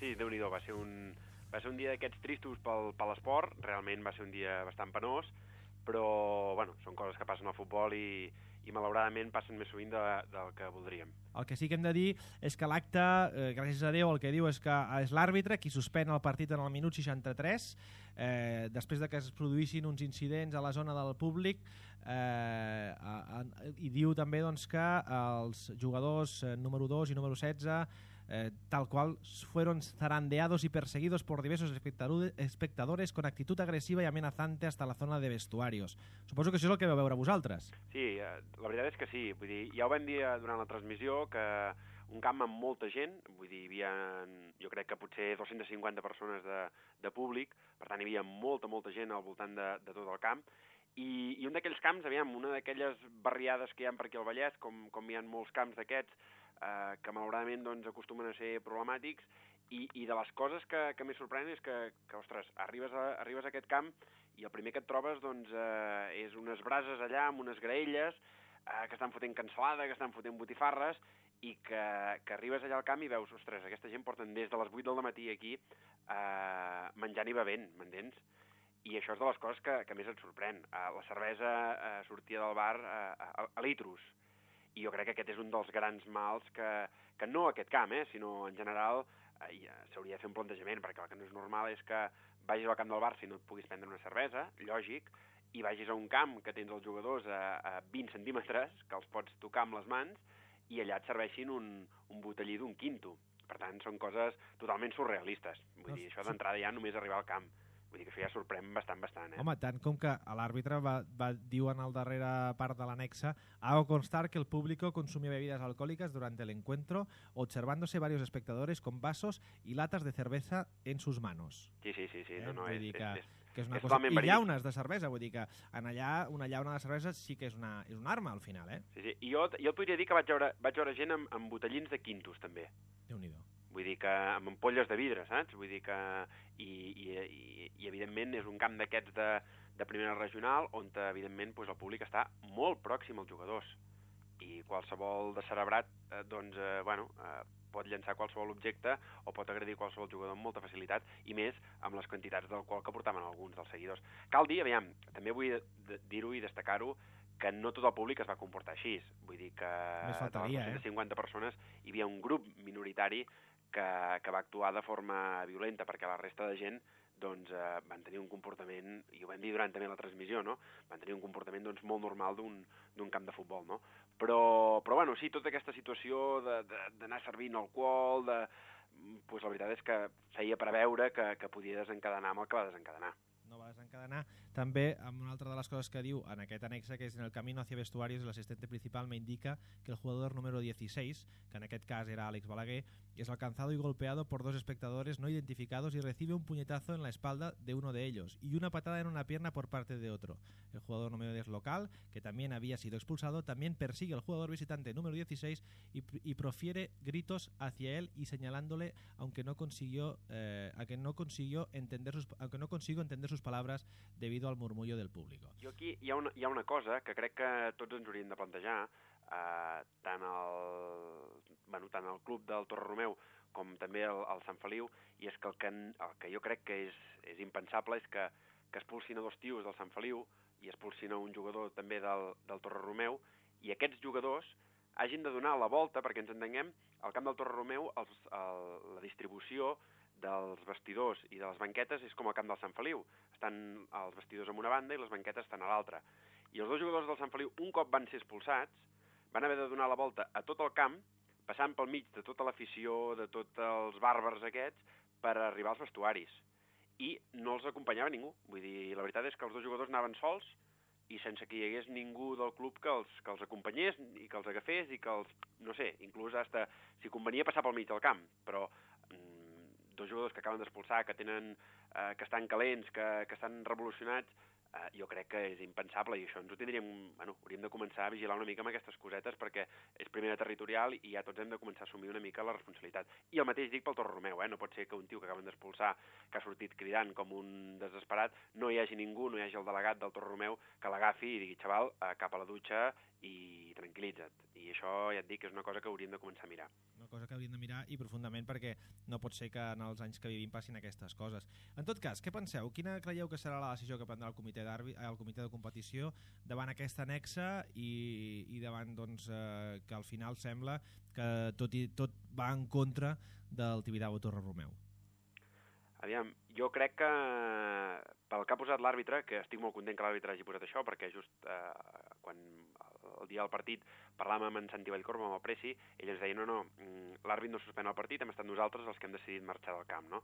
Sí, Déu-n'hi-do, va ser un, va ser un dia d'aquests tristos pel, per l'esport, realment va ser un dia bastant penós, però bueno, són coses que passen al futbol i, i malauradament passen més sovint de, del que voldríem. El que sí que hem de dir és que l'acte, eh, gràcies a Déu, el que diu és que és l'àrbitre qui suspèn el partit en el minut seixanta-tres, eh, després de que es produïssin uns incidents a la zona del públic, eh, a, a, i diu també doncs, que els jugadors eh, número dos i número setze Eh, tal cual fueron zarandeados y perseguidos por diversos espectadores con actitud agresiva y amenazante hasta la zona de vestuarios. Suposo que això és el que vau veure vosaltres. Sí, eh, la veritat és que sí. Vull dir, ja ho vam dir durant la transmissió, que un camp amb molta gent, vull dir, hi havia, jo crec que potser dos-centes cinquanta persones de, de públic, per tant hi havia molta, molta gent al voltant de, de tot el camp, i, i un d'aquells camps, aviam, una d'aquelles barriades que hi ha per aquí al Vallès, com, com hi ha molts camps d'aquests, eh, que malauradament doncs, acostumen a ser problemàtics, i, i de les coses que, que més sorprenen és que, que ostres, arribes a, arribes a aquest camp i el primer que et trobes doncs, eh, és unes brases allà amb unes graelles eh, que estan fotent cansalada, que estan fotent botifarres, i que, que arribes allà al camp i veus, ostres, aquesta gent porten des de les vuit del matí aquí eh, menjant i bevent, m'entens? I això és de les coses que, que més et sorprèn. Uh, la cervesa uh, sortia del bar uh, a, a litros. I jo crec que aquest és un dels grans mals que, que no aquest camp, eh, sinó en general uh, s'hauria de fer un plantejament, perquè el que no és normal és que vagis al camp del bar si no et puguis prendre una cervesa, lògic, i vagis a un camp que tens els jugadors a, a vint centímetres, que els pots tocar amb les mans, i allà et serveixin un, un botellí d'un quinto. Per tant, són coses totalment surrealistes. Vull dir, això d'entrada ja només arribar al camp. Vull dir que això ja sorprèn bastant, bastant. Eh? Home, tant com que l'àrbitre va, va dir en el darrere part de l'anexa: hago constar que el público consumió bebidas alcohólicas durante el encuentro, observándose varios espectadores con vasos y latas de cerveza en sus manos. Sí, sí, sí, sí. Eh? No, no, Vull és, dir que és, és, que és una és cosa... totalment I verídic. llaunes de cervesa, vull dir que en allà una llauna de cervesa sí que és una, és una arma, al final, eh? Sí, sí. I jo, jo et podria dir que vaig veure, vaig veure gent amb, amb botellins de quintos, també. Déu-n'hi-do. Vull dir que amb ampolles de vidre, saps? Vull dir que... I, i, i, i evidentment, és un camp d'aquests de, de primera regional on, evidentment, doncs, el públic està molt pròxim als jugadors. I qualsevol descerebrat, eh, doncs, eh, bueno, eh, pot llançar qualsevol objecte o pot agredir qualsevol jugador amb molta facilitat, i més amb les quantitats d'alcohol que portaven alguns dels seguidors. Cal dir, aviam, també vull dir-ho i destacar-ho, que no tot el públic es va comportar així. Vull dir que Més de les faltaria, dos-centes eh? cinquanta persones hi havia un grup minoritari que, que va actuar de forma violenta, perquè la resta de gent doncs, eh, van tenir un comportament, i ho vam dir durant també la transmissió, no? Van tenir un comportament doncs, molt normal d'un camp de futbol, no? Però, però bueno, sí, tota aquesta situació d'anar servint alcohol, de, pues, la veritat és que feia preveure que, que podia desencadenar amb el que va desencadenar. No va desencadenar. També, amb una altra de les coses que diu en aquest anexe, que és en el camino hacia vestuarios, el asistente principal me indica que el jugador número dieciséis, que en aquest cas era Àlex Balaguer, es alcanzado y golpeado por dos espectadores no identificados y recibe un puñetazo en la espalda de uno de ellos y una patada en una pierna por parte de otro. El jugador número diez local, que también había sido expulsado, también persigue al jugador visitante número dieciséis y, y profiere gritos hacia él y señalándole, aunque no consiguió, eh, aunque no consiguió entender sus, aunque no consigo entender sus palabras debido al murmullo del público. Jo aquí hi ha una, hi ha una cosa que crec que tots ens hauríem de plantejar, eh, tant, el, bueno, tant el club del Torre Romeu com també el, el Sant Feliu, i és que el que, el que jo crec que és, és impensable és que, que expulsin a dos tios del Sant Feliu i expulsin a un jugador també del, del Torre Romeu, i aquests jugadors hagin de donar la volta, perquè ens entenguem, al camp del Torre Romeu els, el, la distribució dels vestidors i de les banquetes és com al camp del Sant Feliu. Estan els vestidors en una banda i les banquetes estan a l'altra. I els dos jugadors del Sant Feliu, un cop van ser expulsats, van haver de donar la volta a tot el camp, passant pel mig de tota l'afició, de tots els bàrbars aquests, per arribar als vestuaris. I no els acompanyava ningú. Vull dir, la veritat és que els dos jugadors anaven sols i sense que hi hagués ningú del club que els, que els acompanyés i que els agafés i que els, no sé, inclús hasta si convenia passar pel mig del camp, però dos jugadors que acaben d'expulsar, que tenen, eh, que estan calents, que, que estan revolucionats, eh, jo crec que és impensable, i això ens ho tindríem, bueno, hauríem de començar a vigilar una mica amb aquestes cosetes, perquè és primera territorial i ja tots hem de començar a assumir una mica la responsabilitat. I el mateix dic pel Torre Romeu, eh? No pot ser que un tio que acaben d'expulsar, que ha sortit cridant com un desesperat, no hi hagi ningú, no hi hagi el delegat del Torre Romeu que l'agafi i digui, xaval, eh, cap a la dutxa i tranquil·litza't. I això, ja et dic, és una cosa que hauríem de començar a mirar. Una cosa que hauríem de mirar i profundament, perquè no pot ser que en els anys que vivim passin aquestes coses. En tot cas, què penseu? Quina creieu que serà la decisió que prendrà el comitè, el comitè de competició davant aquesta anexa i, i davant doncs, eh, que al final sembla que tot, i, tot va en contra del Tibidabo Torre Romeu? Aviam, jo crec que pel que ha posat l'àrbitre, que estic molt content que l'àrbitre hagi posat això, perquè just eh, quan el dia del partit parlàvem amb en Santi Vallcorba, amb el Preci, ell ens deia, no, no, l'àrbit no suspèn el partit, hem estat nosaltres els que hem decidit marxar del camp, no?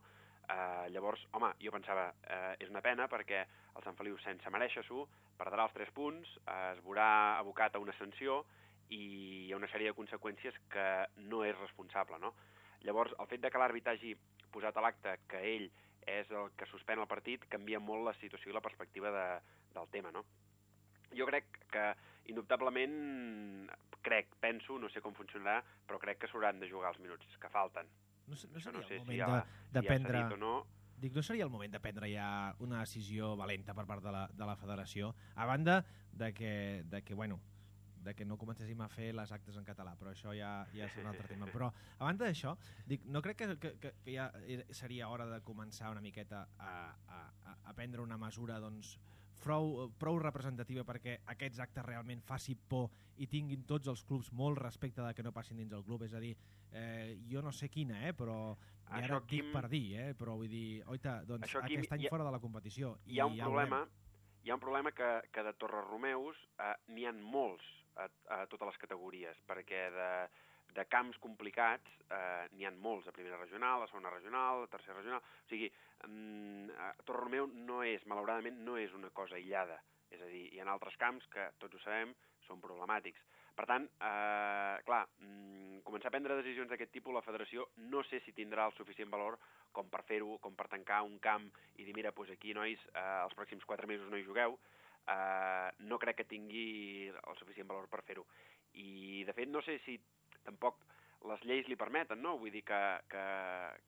Eh, llavors, home, jo pensava, eh, és una pena perquè el Sant Feliu, sense mereixer-s'ho, perdrà els tres punts, eh, es veurà abocat a una sanció i hi ha una sèrie de conseqüències que no és responsable, no? Llavors, el fet de que l'àrbit hagi posat a l'acte que ell és el que suspèn el partit canvia molt la situació i la perspectiva de, del tema, no? Jo crec que, indubtablement, crec, penso, no sé com funcionarà, però crec que s'hauran de jugar els minuts que falten. No, no seria no sé el moment si ja, de, de si prendre... ja no. Dic, no seria el moment de prendre ja una decisió valenta per part de la, de la federació, a banda de que, de que bueno, de que no comencéssim a fer les actes en català, però això ja, ja és un altre tema. Però, a banda d'això, dic, no crec que, que, que ja seria hora de començar una miqueta a, a, a prendre una mesura doncs, prou, prou representativa perquè aquests actes realment faci por i tinguin tots els clubs molt respecte de que no passin dins el club. És a dir, eh, jo no sé quina, eh, però i ara això, et dic Quim, per dir, eh, però vull dir, oita, doncs això, Quim, aquest any hi ha, fora de la competició. Hi ha un i ja problema, hi ha un problema que, que de Torre Romeus eh, n'hi ha molts a, a totes les categories, perquè de, de camps complicats eh, n'hi ha molts, a primera regional, a segona regional, a tercera regional, o sigui, mm, Torre Romeu no és, malauradament, no és una cosa aïllada, És a dir, hi ha altres camps que, tots ho sabem, són problemàtics. Per tant, eh, clar, mm, començar a prendre decisions d'aquest tipus, la federació no sé si tindrà el suficient valor com per fer-ho, com per tancar un camp i dir, mira, doncs aquí, nois, eh, els pròxims quatre mesos no hi jugueu. Eh, no crec que tingui el suficient valor per fer-ho. I, de fet, no sé si tampoc les lleis li permeten, no? Vull dir que... que...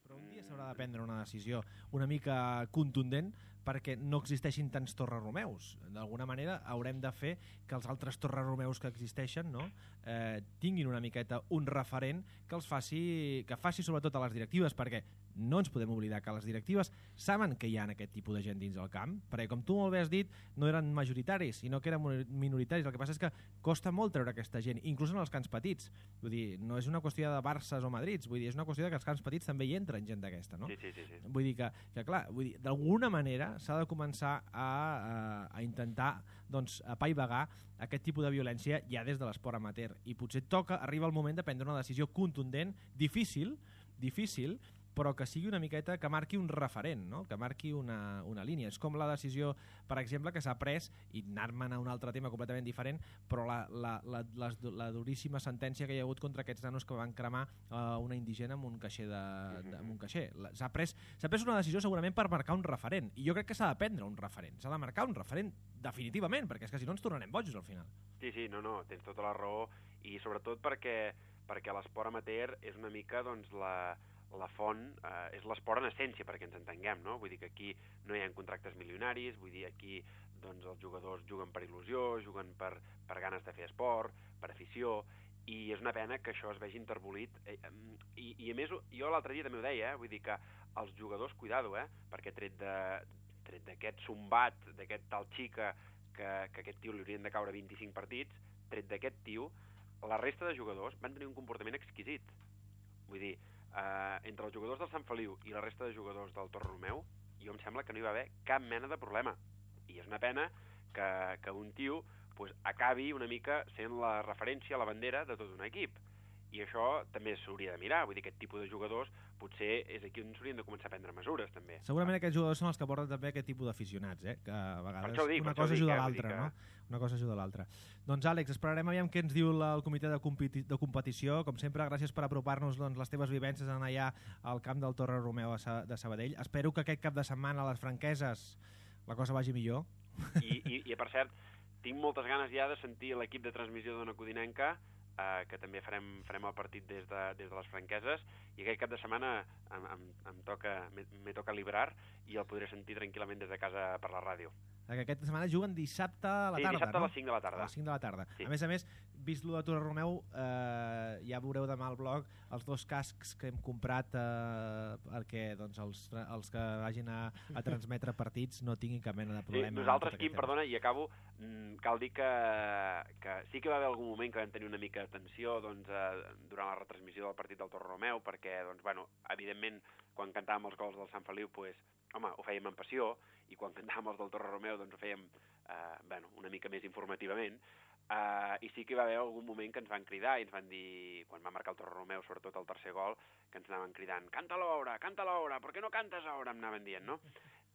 Però un dia s'haurà de prendre una decisió una mica contundent perquè no existeixin tants Torres Romeus. D'alguna manera haurem de fer que els altres Torres Romeus que existeixen, no? eh, tinguin una miqueta un referent que els faci, que faci sobretot a les directives, perquè no ens podem oblidar que les directives saben que hi ha aquest tipus de gent dins el camp, perquè com tu molt bé has dit, no eren majoritaris, sinó que eren minoritaris. El que passa és que costa molt treure aquesta gent, inclús en els camps petits. Vull dir, no és una qüestió de Barças o Madrids, vull dir, és una qüestió de que els camps petits també hi entren gent d'aquesta, no? Sí, sí, sí, sí. Vull dir que, que clar, vull dir, d'alguna manera s'ha de començar a, a, a intentar doncs, apaivagar aquest tipus de violència ja des de l'esport amateur. I potser toca, arriba el moment de prendre una decisió contundent, difícil, difícil, però que sigui una miqueta, que marqui un referent, no? Que marqui una, una línia. És com la decisió, per exemple, que s'ha pres, i anar-me'n a un altre tema completament diferent, però la, la, la, la, la duríssima sentència que hi ha hagut contra aquests nanos que van cremar uh, una indigena amb un caixer. De, de, amb un caixer. S'ha pres, s'ha pres una decisió segurament per marcar un referent, i jo crec que s'ha de prendre un referent, s'ha de marcar un referent definitivament, perquè és que si no ens tornarem bojos al final. Sí, sí, no, no, tens tota la raó, i sobretot perquè, perquè l'esport amateur és una mica, doncs, la... la font eh, és l'esport en essència, perquè ens entenguem, no? Vull dir que aquí no hi ha contractes milionaris, vull dir aquí doncs, els jugadors juguen per il·lusió, juguen per, per ganes de fer esport, per afició, i és una pena que això es vegi interbolit. Eh, i, I a més, jo l'altre dia també ho deia, eh? Vull dir que els jugadors, cuidado, eh? Perquè tret de tret d'aquest sombat, d'aquest tal xica, que, que aquest tio li haurien de caure vint-i-cinc partits, tret d'aquest tio, la resta de jugadors van tenir un comportament exquisit. Vull dir, Uh, entre els jugadors del Sant Feliu i la resta de jugadors del Torre Romeu, jo em sembla que no hi va haver cap mena de problema. I és una pena que, que un tio pues, acabi una mica sent la referència, la bandera de tot un equip. I això també s'hauria de mirar. Vull dir, aquest tipus de jugadors potser és aquí on s'haurien de començar a prendre mesures, també. Segurament aquests jugadors són els que porten també aquest tipus d'aficionats, eh? Que a vegades dic, una cosa ajuda a l'altra, que... no? Una cosa ajuda a l'altra. Doncs, Àlex, esperarem aviam què ens diu la, el comitè de, competi de competició. Com sempre, gràcies per apropar-nos doncs, les teves vivències en allà al camp del Torre Romeu de Sabadell. Espero que aquest cap de setmana a les Franqueses la cosa vagi millor. I, i, i per cert, tinc moltes ganes ja de sentir l'equip de transmissió d'Ona Codinenca, Uh, que també farem, farem el partit des de, des de les Franqueses, i aquest cap de setmana em, em, em toca, me toca librar i el podré sentir tranquil·lament des de casa per la ràdio. Que aquesta setmana juguen dissabte a la sí, tarda, dissabte no? a les cinc de la tarda. A les cinc de la tarda. Sí. A més a més, vist lo de Torre Romeu, eh, ja veureu demà al blog els dos cascs que hem comprat eh, perquè doncs, els, els que vagin a, a transmetre partits no tinguin cap mena de problema. Sí, nosaltres, Quim, perdona, i acabo, cal dir que, que sí que va haver algun moment que vam tenir una mica de tensió doncs, eh, durant la retransmissió del partit del Torre Romeu, perquè, doncs, bueno, evidentment, quan cantàvem els gols del Sant Feliu, pues, home, ho fèiem amb passió, i quan cantàvem els del Torre Romeu doncs ho fèiem eh, bueno, una mica més informativament, eh, i sí que hi va haver algun moment que ens van cridar i ens van dir, quan va marcar el Torre Romeu, sobretot el tercer gol, que ens anaven cridant, canta l'hora, canta l'hora, per què no cantes ara? Em anaven dient, no?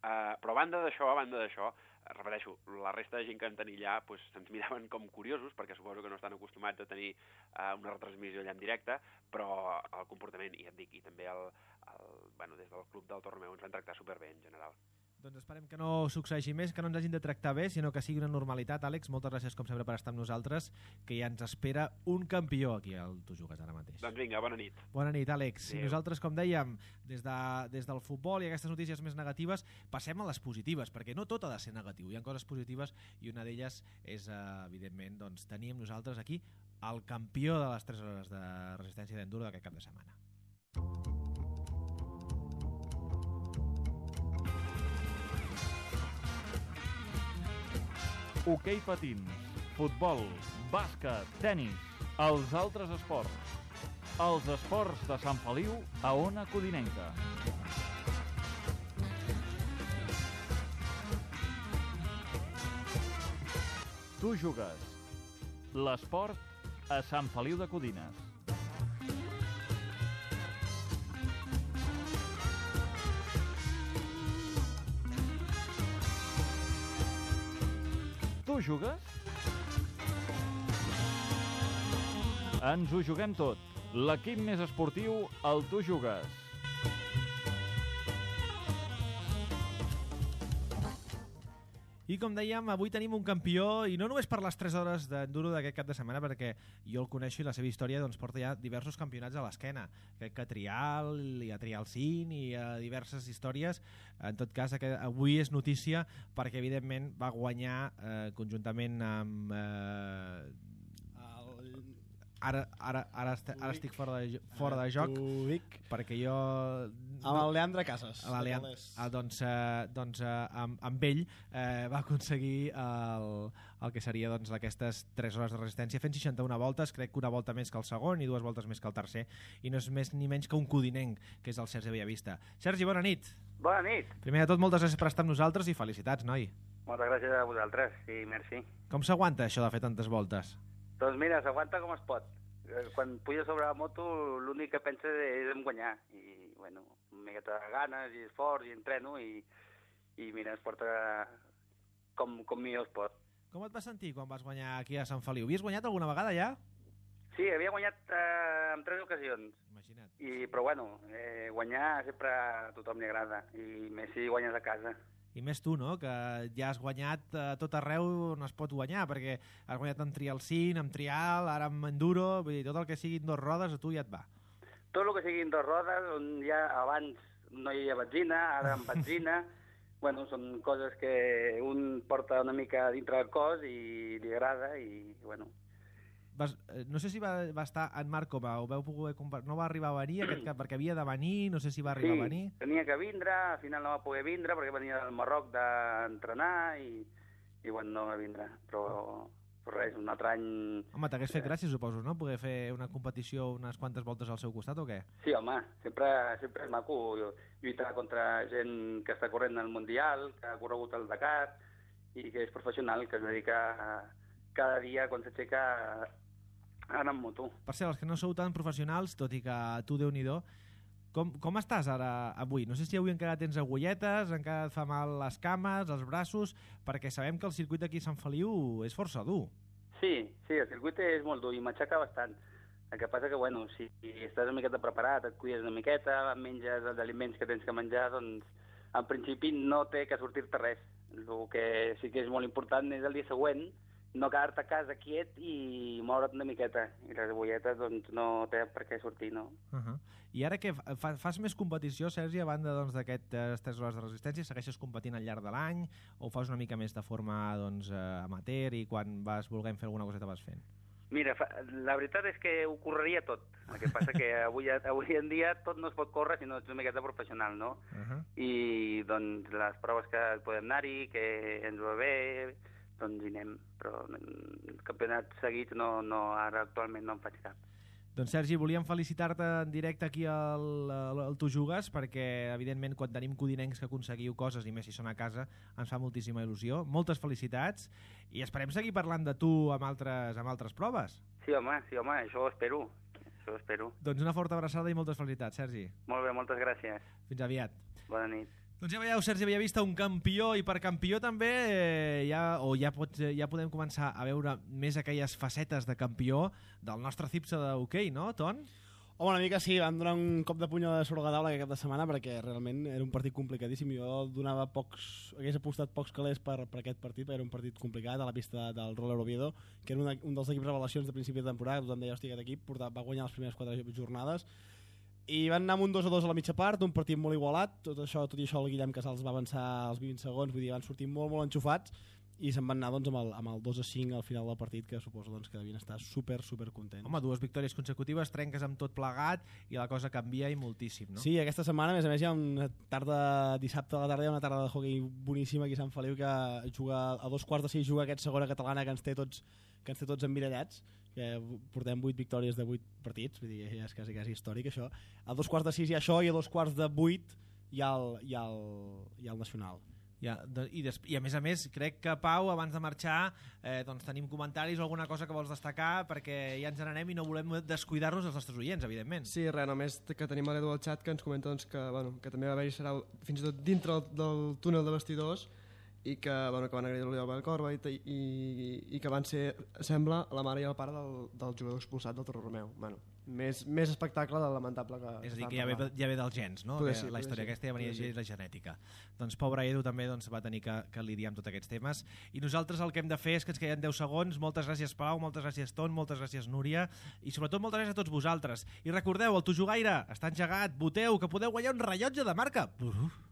Eh, però a banda d'això, a banda d'això, repeteixo, la resta de gent que en tenia allà pues, se'ns miraven com curiosos, perquè suposo que no estan acostumats a tenir uh, una retransmissió allà en directe, però el comportament, i et dic, i també el, el, bueno, des del club del Torre Romeu ens van tractar superbé en general. Doncs esperem que no succeeixi més, que no ens hagin de tractar bé, sinó que sigui una normalitat. Àlex, moltes gràcies com sempre per estar amb nosaltres, que ja ens espera un campió aquí al Tu Jugues ara mateix. Doncs vinga, bona nit. Bona nit, Àlex. Adéu. I nosaltres, com dèiem, des, de, des del futbol i aquestes notícies més negatives, passem a les positives, perquè no tot ha de ser negatiu. Hi ha coses positives i una d'elles és, eh, evidentment, doncs, tenir amb nosaltres aquí el campió de les tres hores de resistència d'enduro d'aquest cap de setmana. Hoquei patins, futbol, bàsquet, tenis, els altres esports. Els esports de Sant Feliu a Ona Codinenca. Tu jugues. L'esport a Sant Feliu de Codines. Tu jugues? Ens ho juguem tot. L'equip més esportiu, el Tu jugues. I com dèiem, avui tenim un campió, i no només per les tres hores d'enduro d'aquest cap de setmana, perquè jo el coneixo i la seva història doncs, porta ja diversos campionats a l'esquena. Crec que a Trial, i a Trial cinc, i a diverses històries. En tot cas, avui és notícia perquè, evidentment, va guanyar eh, conjuntament amb... Eh, Ara, ara, ara, est ara estic fora de, fora de joc perquè jo... Amb el Leandre Casas. Leandre, ah, doncs eh, doncs eh, amb, amb ell eh, va aconseguir el, el que seria doncs, aquestes tres hores de resistència fent seixanta-una voltes, crec que una volta més que el segon i dues voltes més que el tercer, i no és més ni menys que un codinenc, que és el Sergi Bellavista. Sergi, bona nit. Bona nit. Primer de tot, moltes gràcies per estar amb nosaltres i felicitats, noi. Moltes gràcies a vosaltres, sí, merci. Com s'aguanta això de fer tantes voltes? Doncs mira, s'aguanta com es pot. Quan pujo sobre la moto, l'únic que penso és en guanyar. I, bueno, una miqueta de ganes i esforç i entreno i, i mira, es porta com, com millor es pot. Com et vas sentir quan vas guanyar aquí a Sant Feliu? Havies guanyat alguna vegada ja? Sí, havia guanyat eh, en tres ocasions. Imagina't. I, però bueno, eh, guanyar sempre a tothom li agrada. I més si guanyes a casa. I més tu, no?, que ja has guanyat a tot arreu on es pot guanyar, perquè has guanyat en Trial cinc, en Trial, ara en Enduro, vull dir, tot el que siguin dos rodes a tu ja et va. Tot el que siguin dos rodes, on ja abans no hi havia benzina, ara amb benzina, bueno, són coses que un porta una mica dintre del cos i li agrada i, bueno... Vas, no sé si va, va estar en Marc com a, ho veu poder no va arribar a venir aquest cap, perquè havia de venir, no sé si va arribar sí, a venir. Sí, tenia que vindre, al final no va poder vindre perquè venia del Marroc d'entrenar i, i bueno, no va vindre, però, però res, un altre any... Home, t'hagués fet gràcia, suposo, no? Poder fer una competició unes quantes voltes al seu costat o què? Sí, home, sempre, sempre és maco lluitar contra gent que està corrent al Mundial, que ha corregut el Dakar i que és professional, que es dedica a, cada dia quan s'aixeca anar amb moto. Per cert, els que no sou tan professionals, tot i que tu, Déu-n'hi-do, com, com estàs ara avui? No sé si avui encara tens agulletes, encara et fa mal les cames, els braços, perquè sabem que el circuit d'aquí a Sant Feliu és força dur. Sí, sí, el circuit és molt dur i m'aixeca bastant. El que passa que, bueno, si estàs una miqueta preparat, et cuides una miqueta, menges els aliments que tens que menjar, doncs en principi no té que sortir-te res. El que sí que és molt important és el dia següent no quedar-te a casa quiet i moure't una miqueta. I les agulletes doncs, no té per què sortir, no? Uh -huh. I ara que fa, fas més competició, Sergi, a banda doncs, d'aquestes tres hores de resistència, segueixes competint al llarg de l'any o fas una mica més de forma doncs, amateur i quan vas volent fer alguna coseta vas fent? Mira, fa, la veritat és que ho correria tot. El que passa que avui, avui en dia tot no es pot córrer si no ets una miqueta professional, no? Uh -huh. I doncs les proves que podem anar-hi, que ens va bé, doncs hi anem, però campionats seguits no, no, ara actualment no en faig cap. Doncs Sergi, volíem felicitar-te en directe aquí al, al Tu Jugues, perquè evidentment quan tenim codinencs que aconseguiu coses, i més si són a casa, ens fa moltíssima il·lusió. Moltes felicitats i esperem seguir parlant de tu amb altres, amb altres proves. Sí, home, sí, home, això ho espero. Això ho espero. Doncs una forta abraçada i moltes felicitats, Sergi. Molt bé, moltes gràcies. Fins aviat. Bona nit. Doncs ja veieu, Sergi Bellavista, un campió, i per campió també eh, ja, o ja, pots, ja podem començar a veure més aquelles facetes de campió del nostre Cipsa d'hoquei, no, Ton? Home, una mica sí, van donar un cop de puny a sobre la taula aquest cap de setmana perquè realment era un partit complicadíssim. Jo donava pocs, hagués apostat pocs calés per, per aquest partit, perquè era un partit complicat a la pista del Roller Oviedo, que era una, un dels equips revelacions de principi de temporada, tothom deia, hòstia, aquest equip portava, va guanyar les primeres quatre jornades, i van anar amb un dos a dos a la mitja part, un partit molt igualat, tot això, tot i això el Guillem Casals va avançar als vint segons, vull dir, van sortir molt, molt enxufats, i se'n van anar doncs, amb, el, amb el dos a cinc al final del partit, que suposo doncs, que devien estar super, super contents. Home, dues victòries consecutives, trenques amb tot plegat i la cosa canvia i moltíssim, no? Sí, aquesta setmana, a més a més, hi ha una tarda, dissabte a la tarda hi ha una tarda de hoquei boníssima aquí a Sant Feliu, que juga a dos quarts de sis juga aquest segona catalana que ens té tots, que ens té tots emmirallats, que portem vuit victòries de vuit partits, vull dir, ja és quasi, quasi històric això. A dos quarts de sis hi ha això i a dos quarts de vuit hi ha el, hi ha el, hi ha el nacional. Ja, i, des, I a més a més crec que Pau, abans de marxar eh, doncs tenim comentaris o alguna cosa que vols destacar, perquè ja ens n'anem i no volem descuidar-nos els nostres oients, evidentment. Sí, res, només que tenim l'Edu al xat que ens comenta doncs, que, bueno, que també va haver-hi serà fins i tot dintre del, del túnel de vestidors i que, bueno, que van agredir l'Oriol Belcorba i, i, i que van ser, sembla, la mare i el pare del, del jugador expulsat del Torre Romeu. Bueno, més, més espectacle del lamentable que... És a dir, que ja ve, ja ve dels gens, no? Poder Que sí, la història poder sí, aquesta ja venia poder sí. de la genètica. Doncs pobre Edu també doncs, va tenir que, que lidiar amb tots aquests temes. I nosaltres el que hem de fer és que ens queden deu segons. Moltes gràcies, Pau, moltes gràcies, Ton, moltes gràcies, Núria, i sobretot moltes gràcies a tots vosaltres. I recordeu, el Tu Jugaire està engegat, voteu, que podeu guanyar un rellotge de marca. Uf.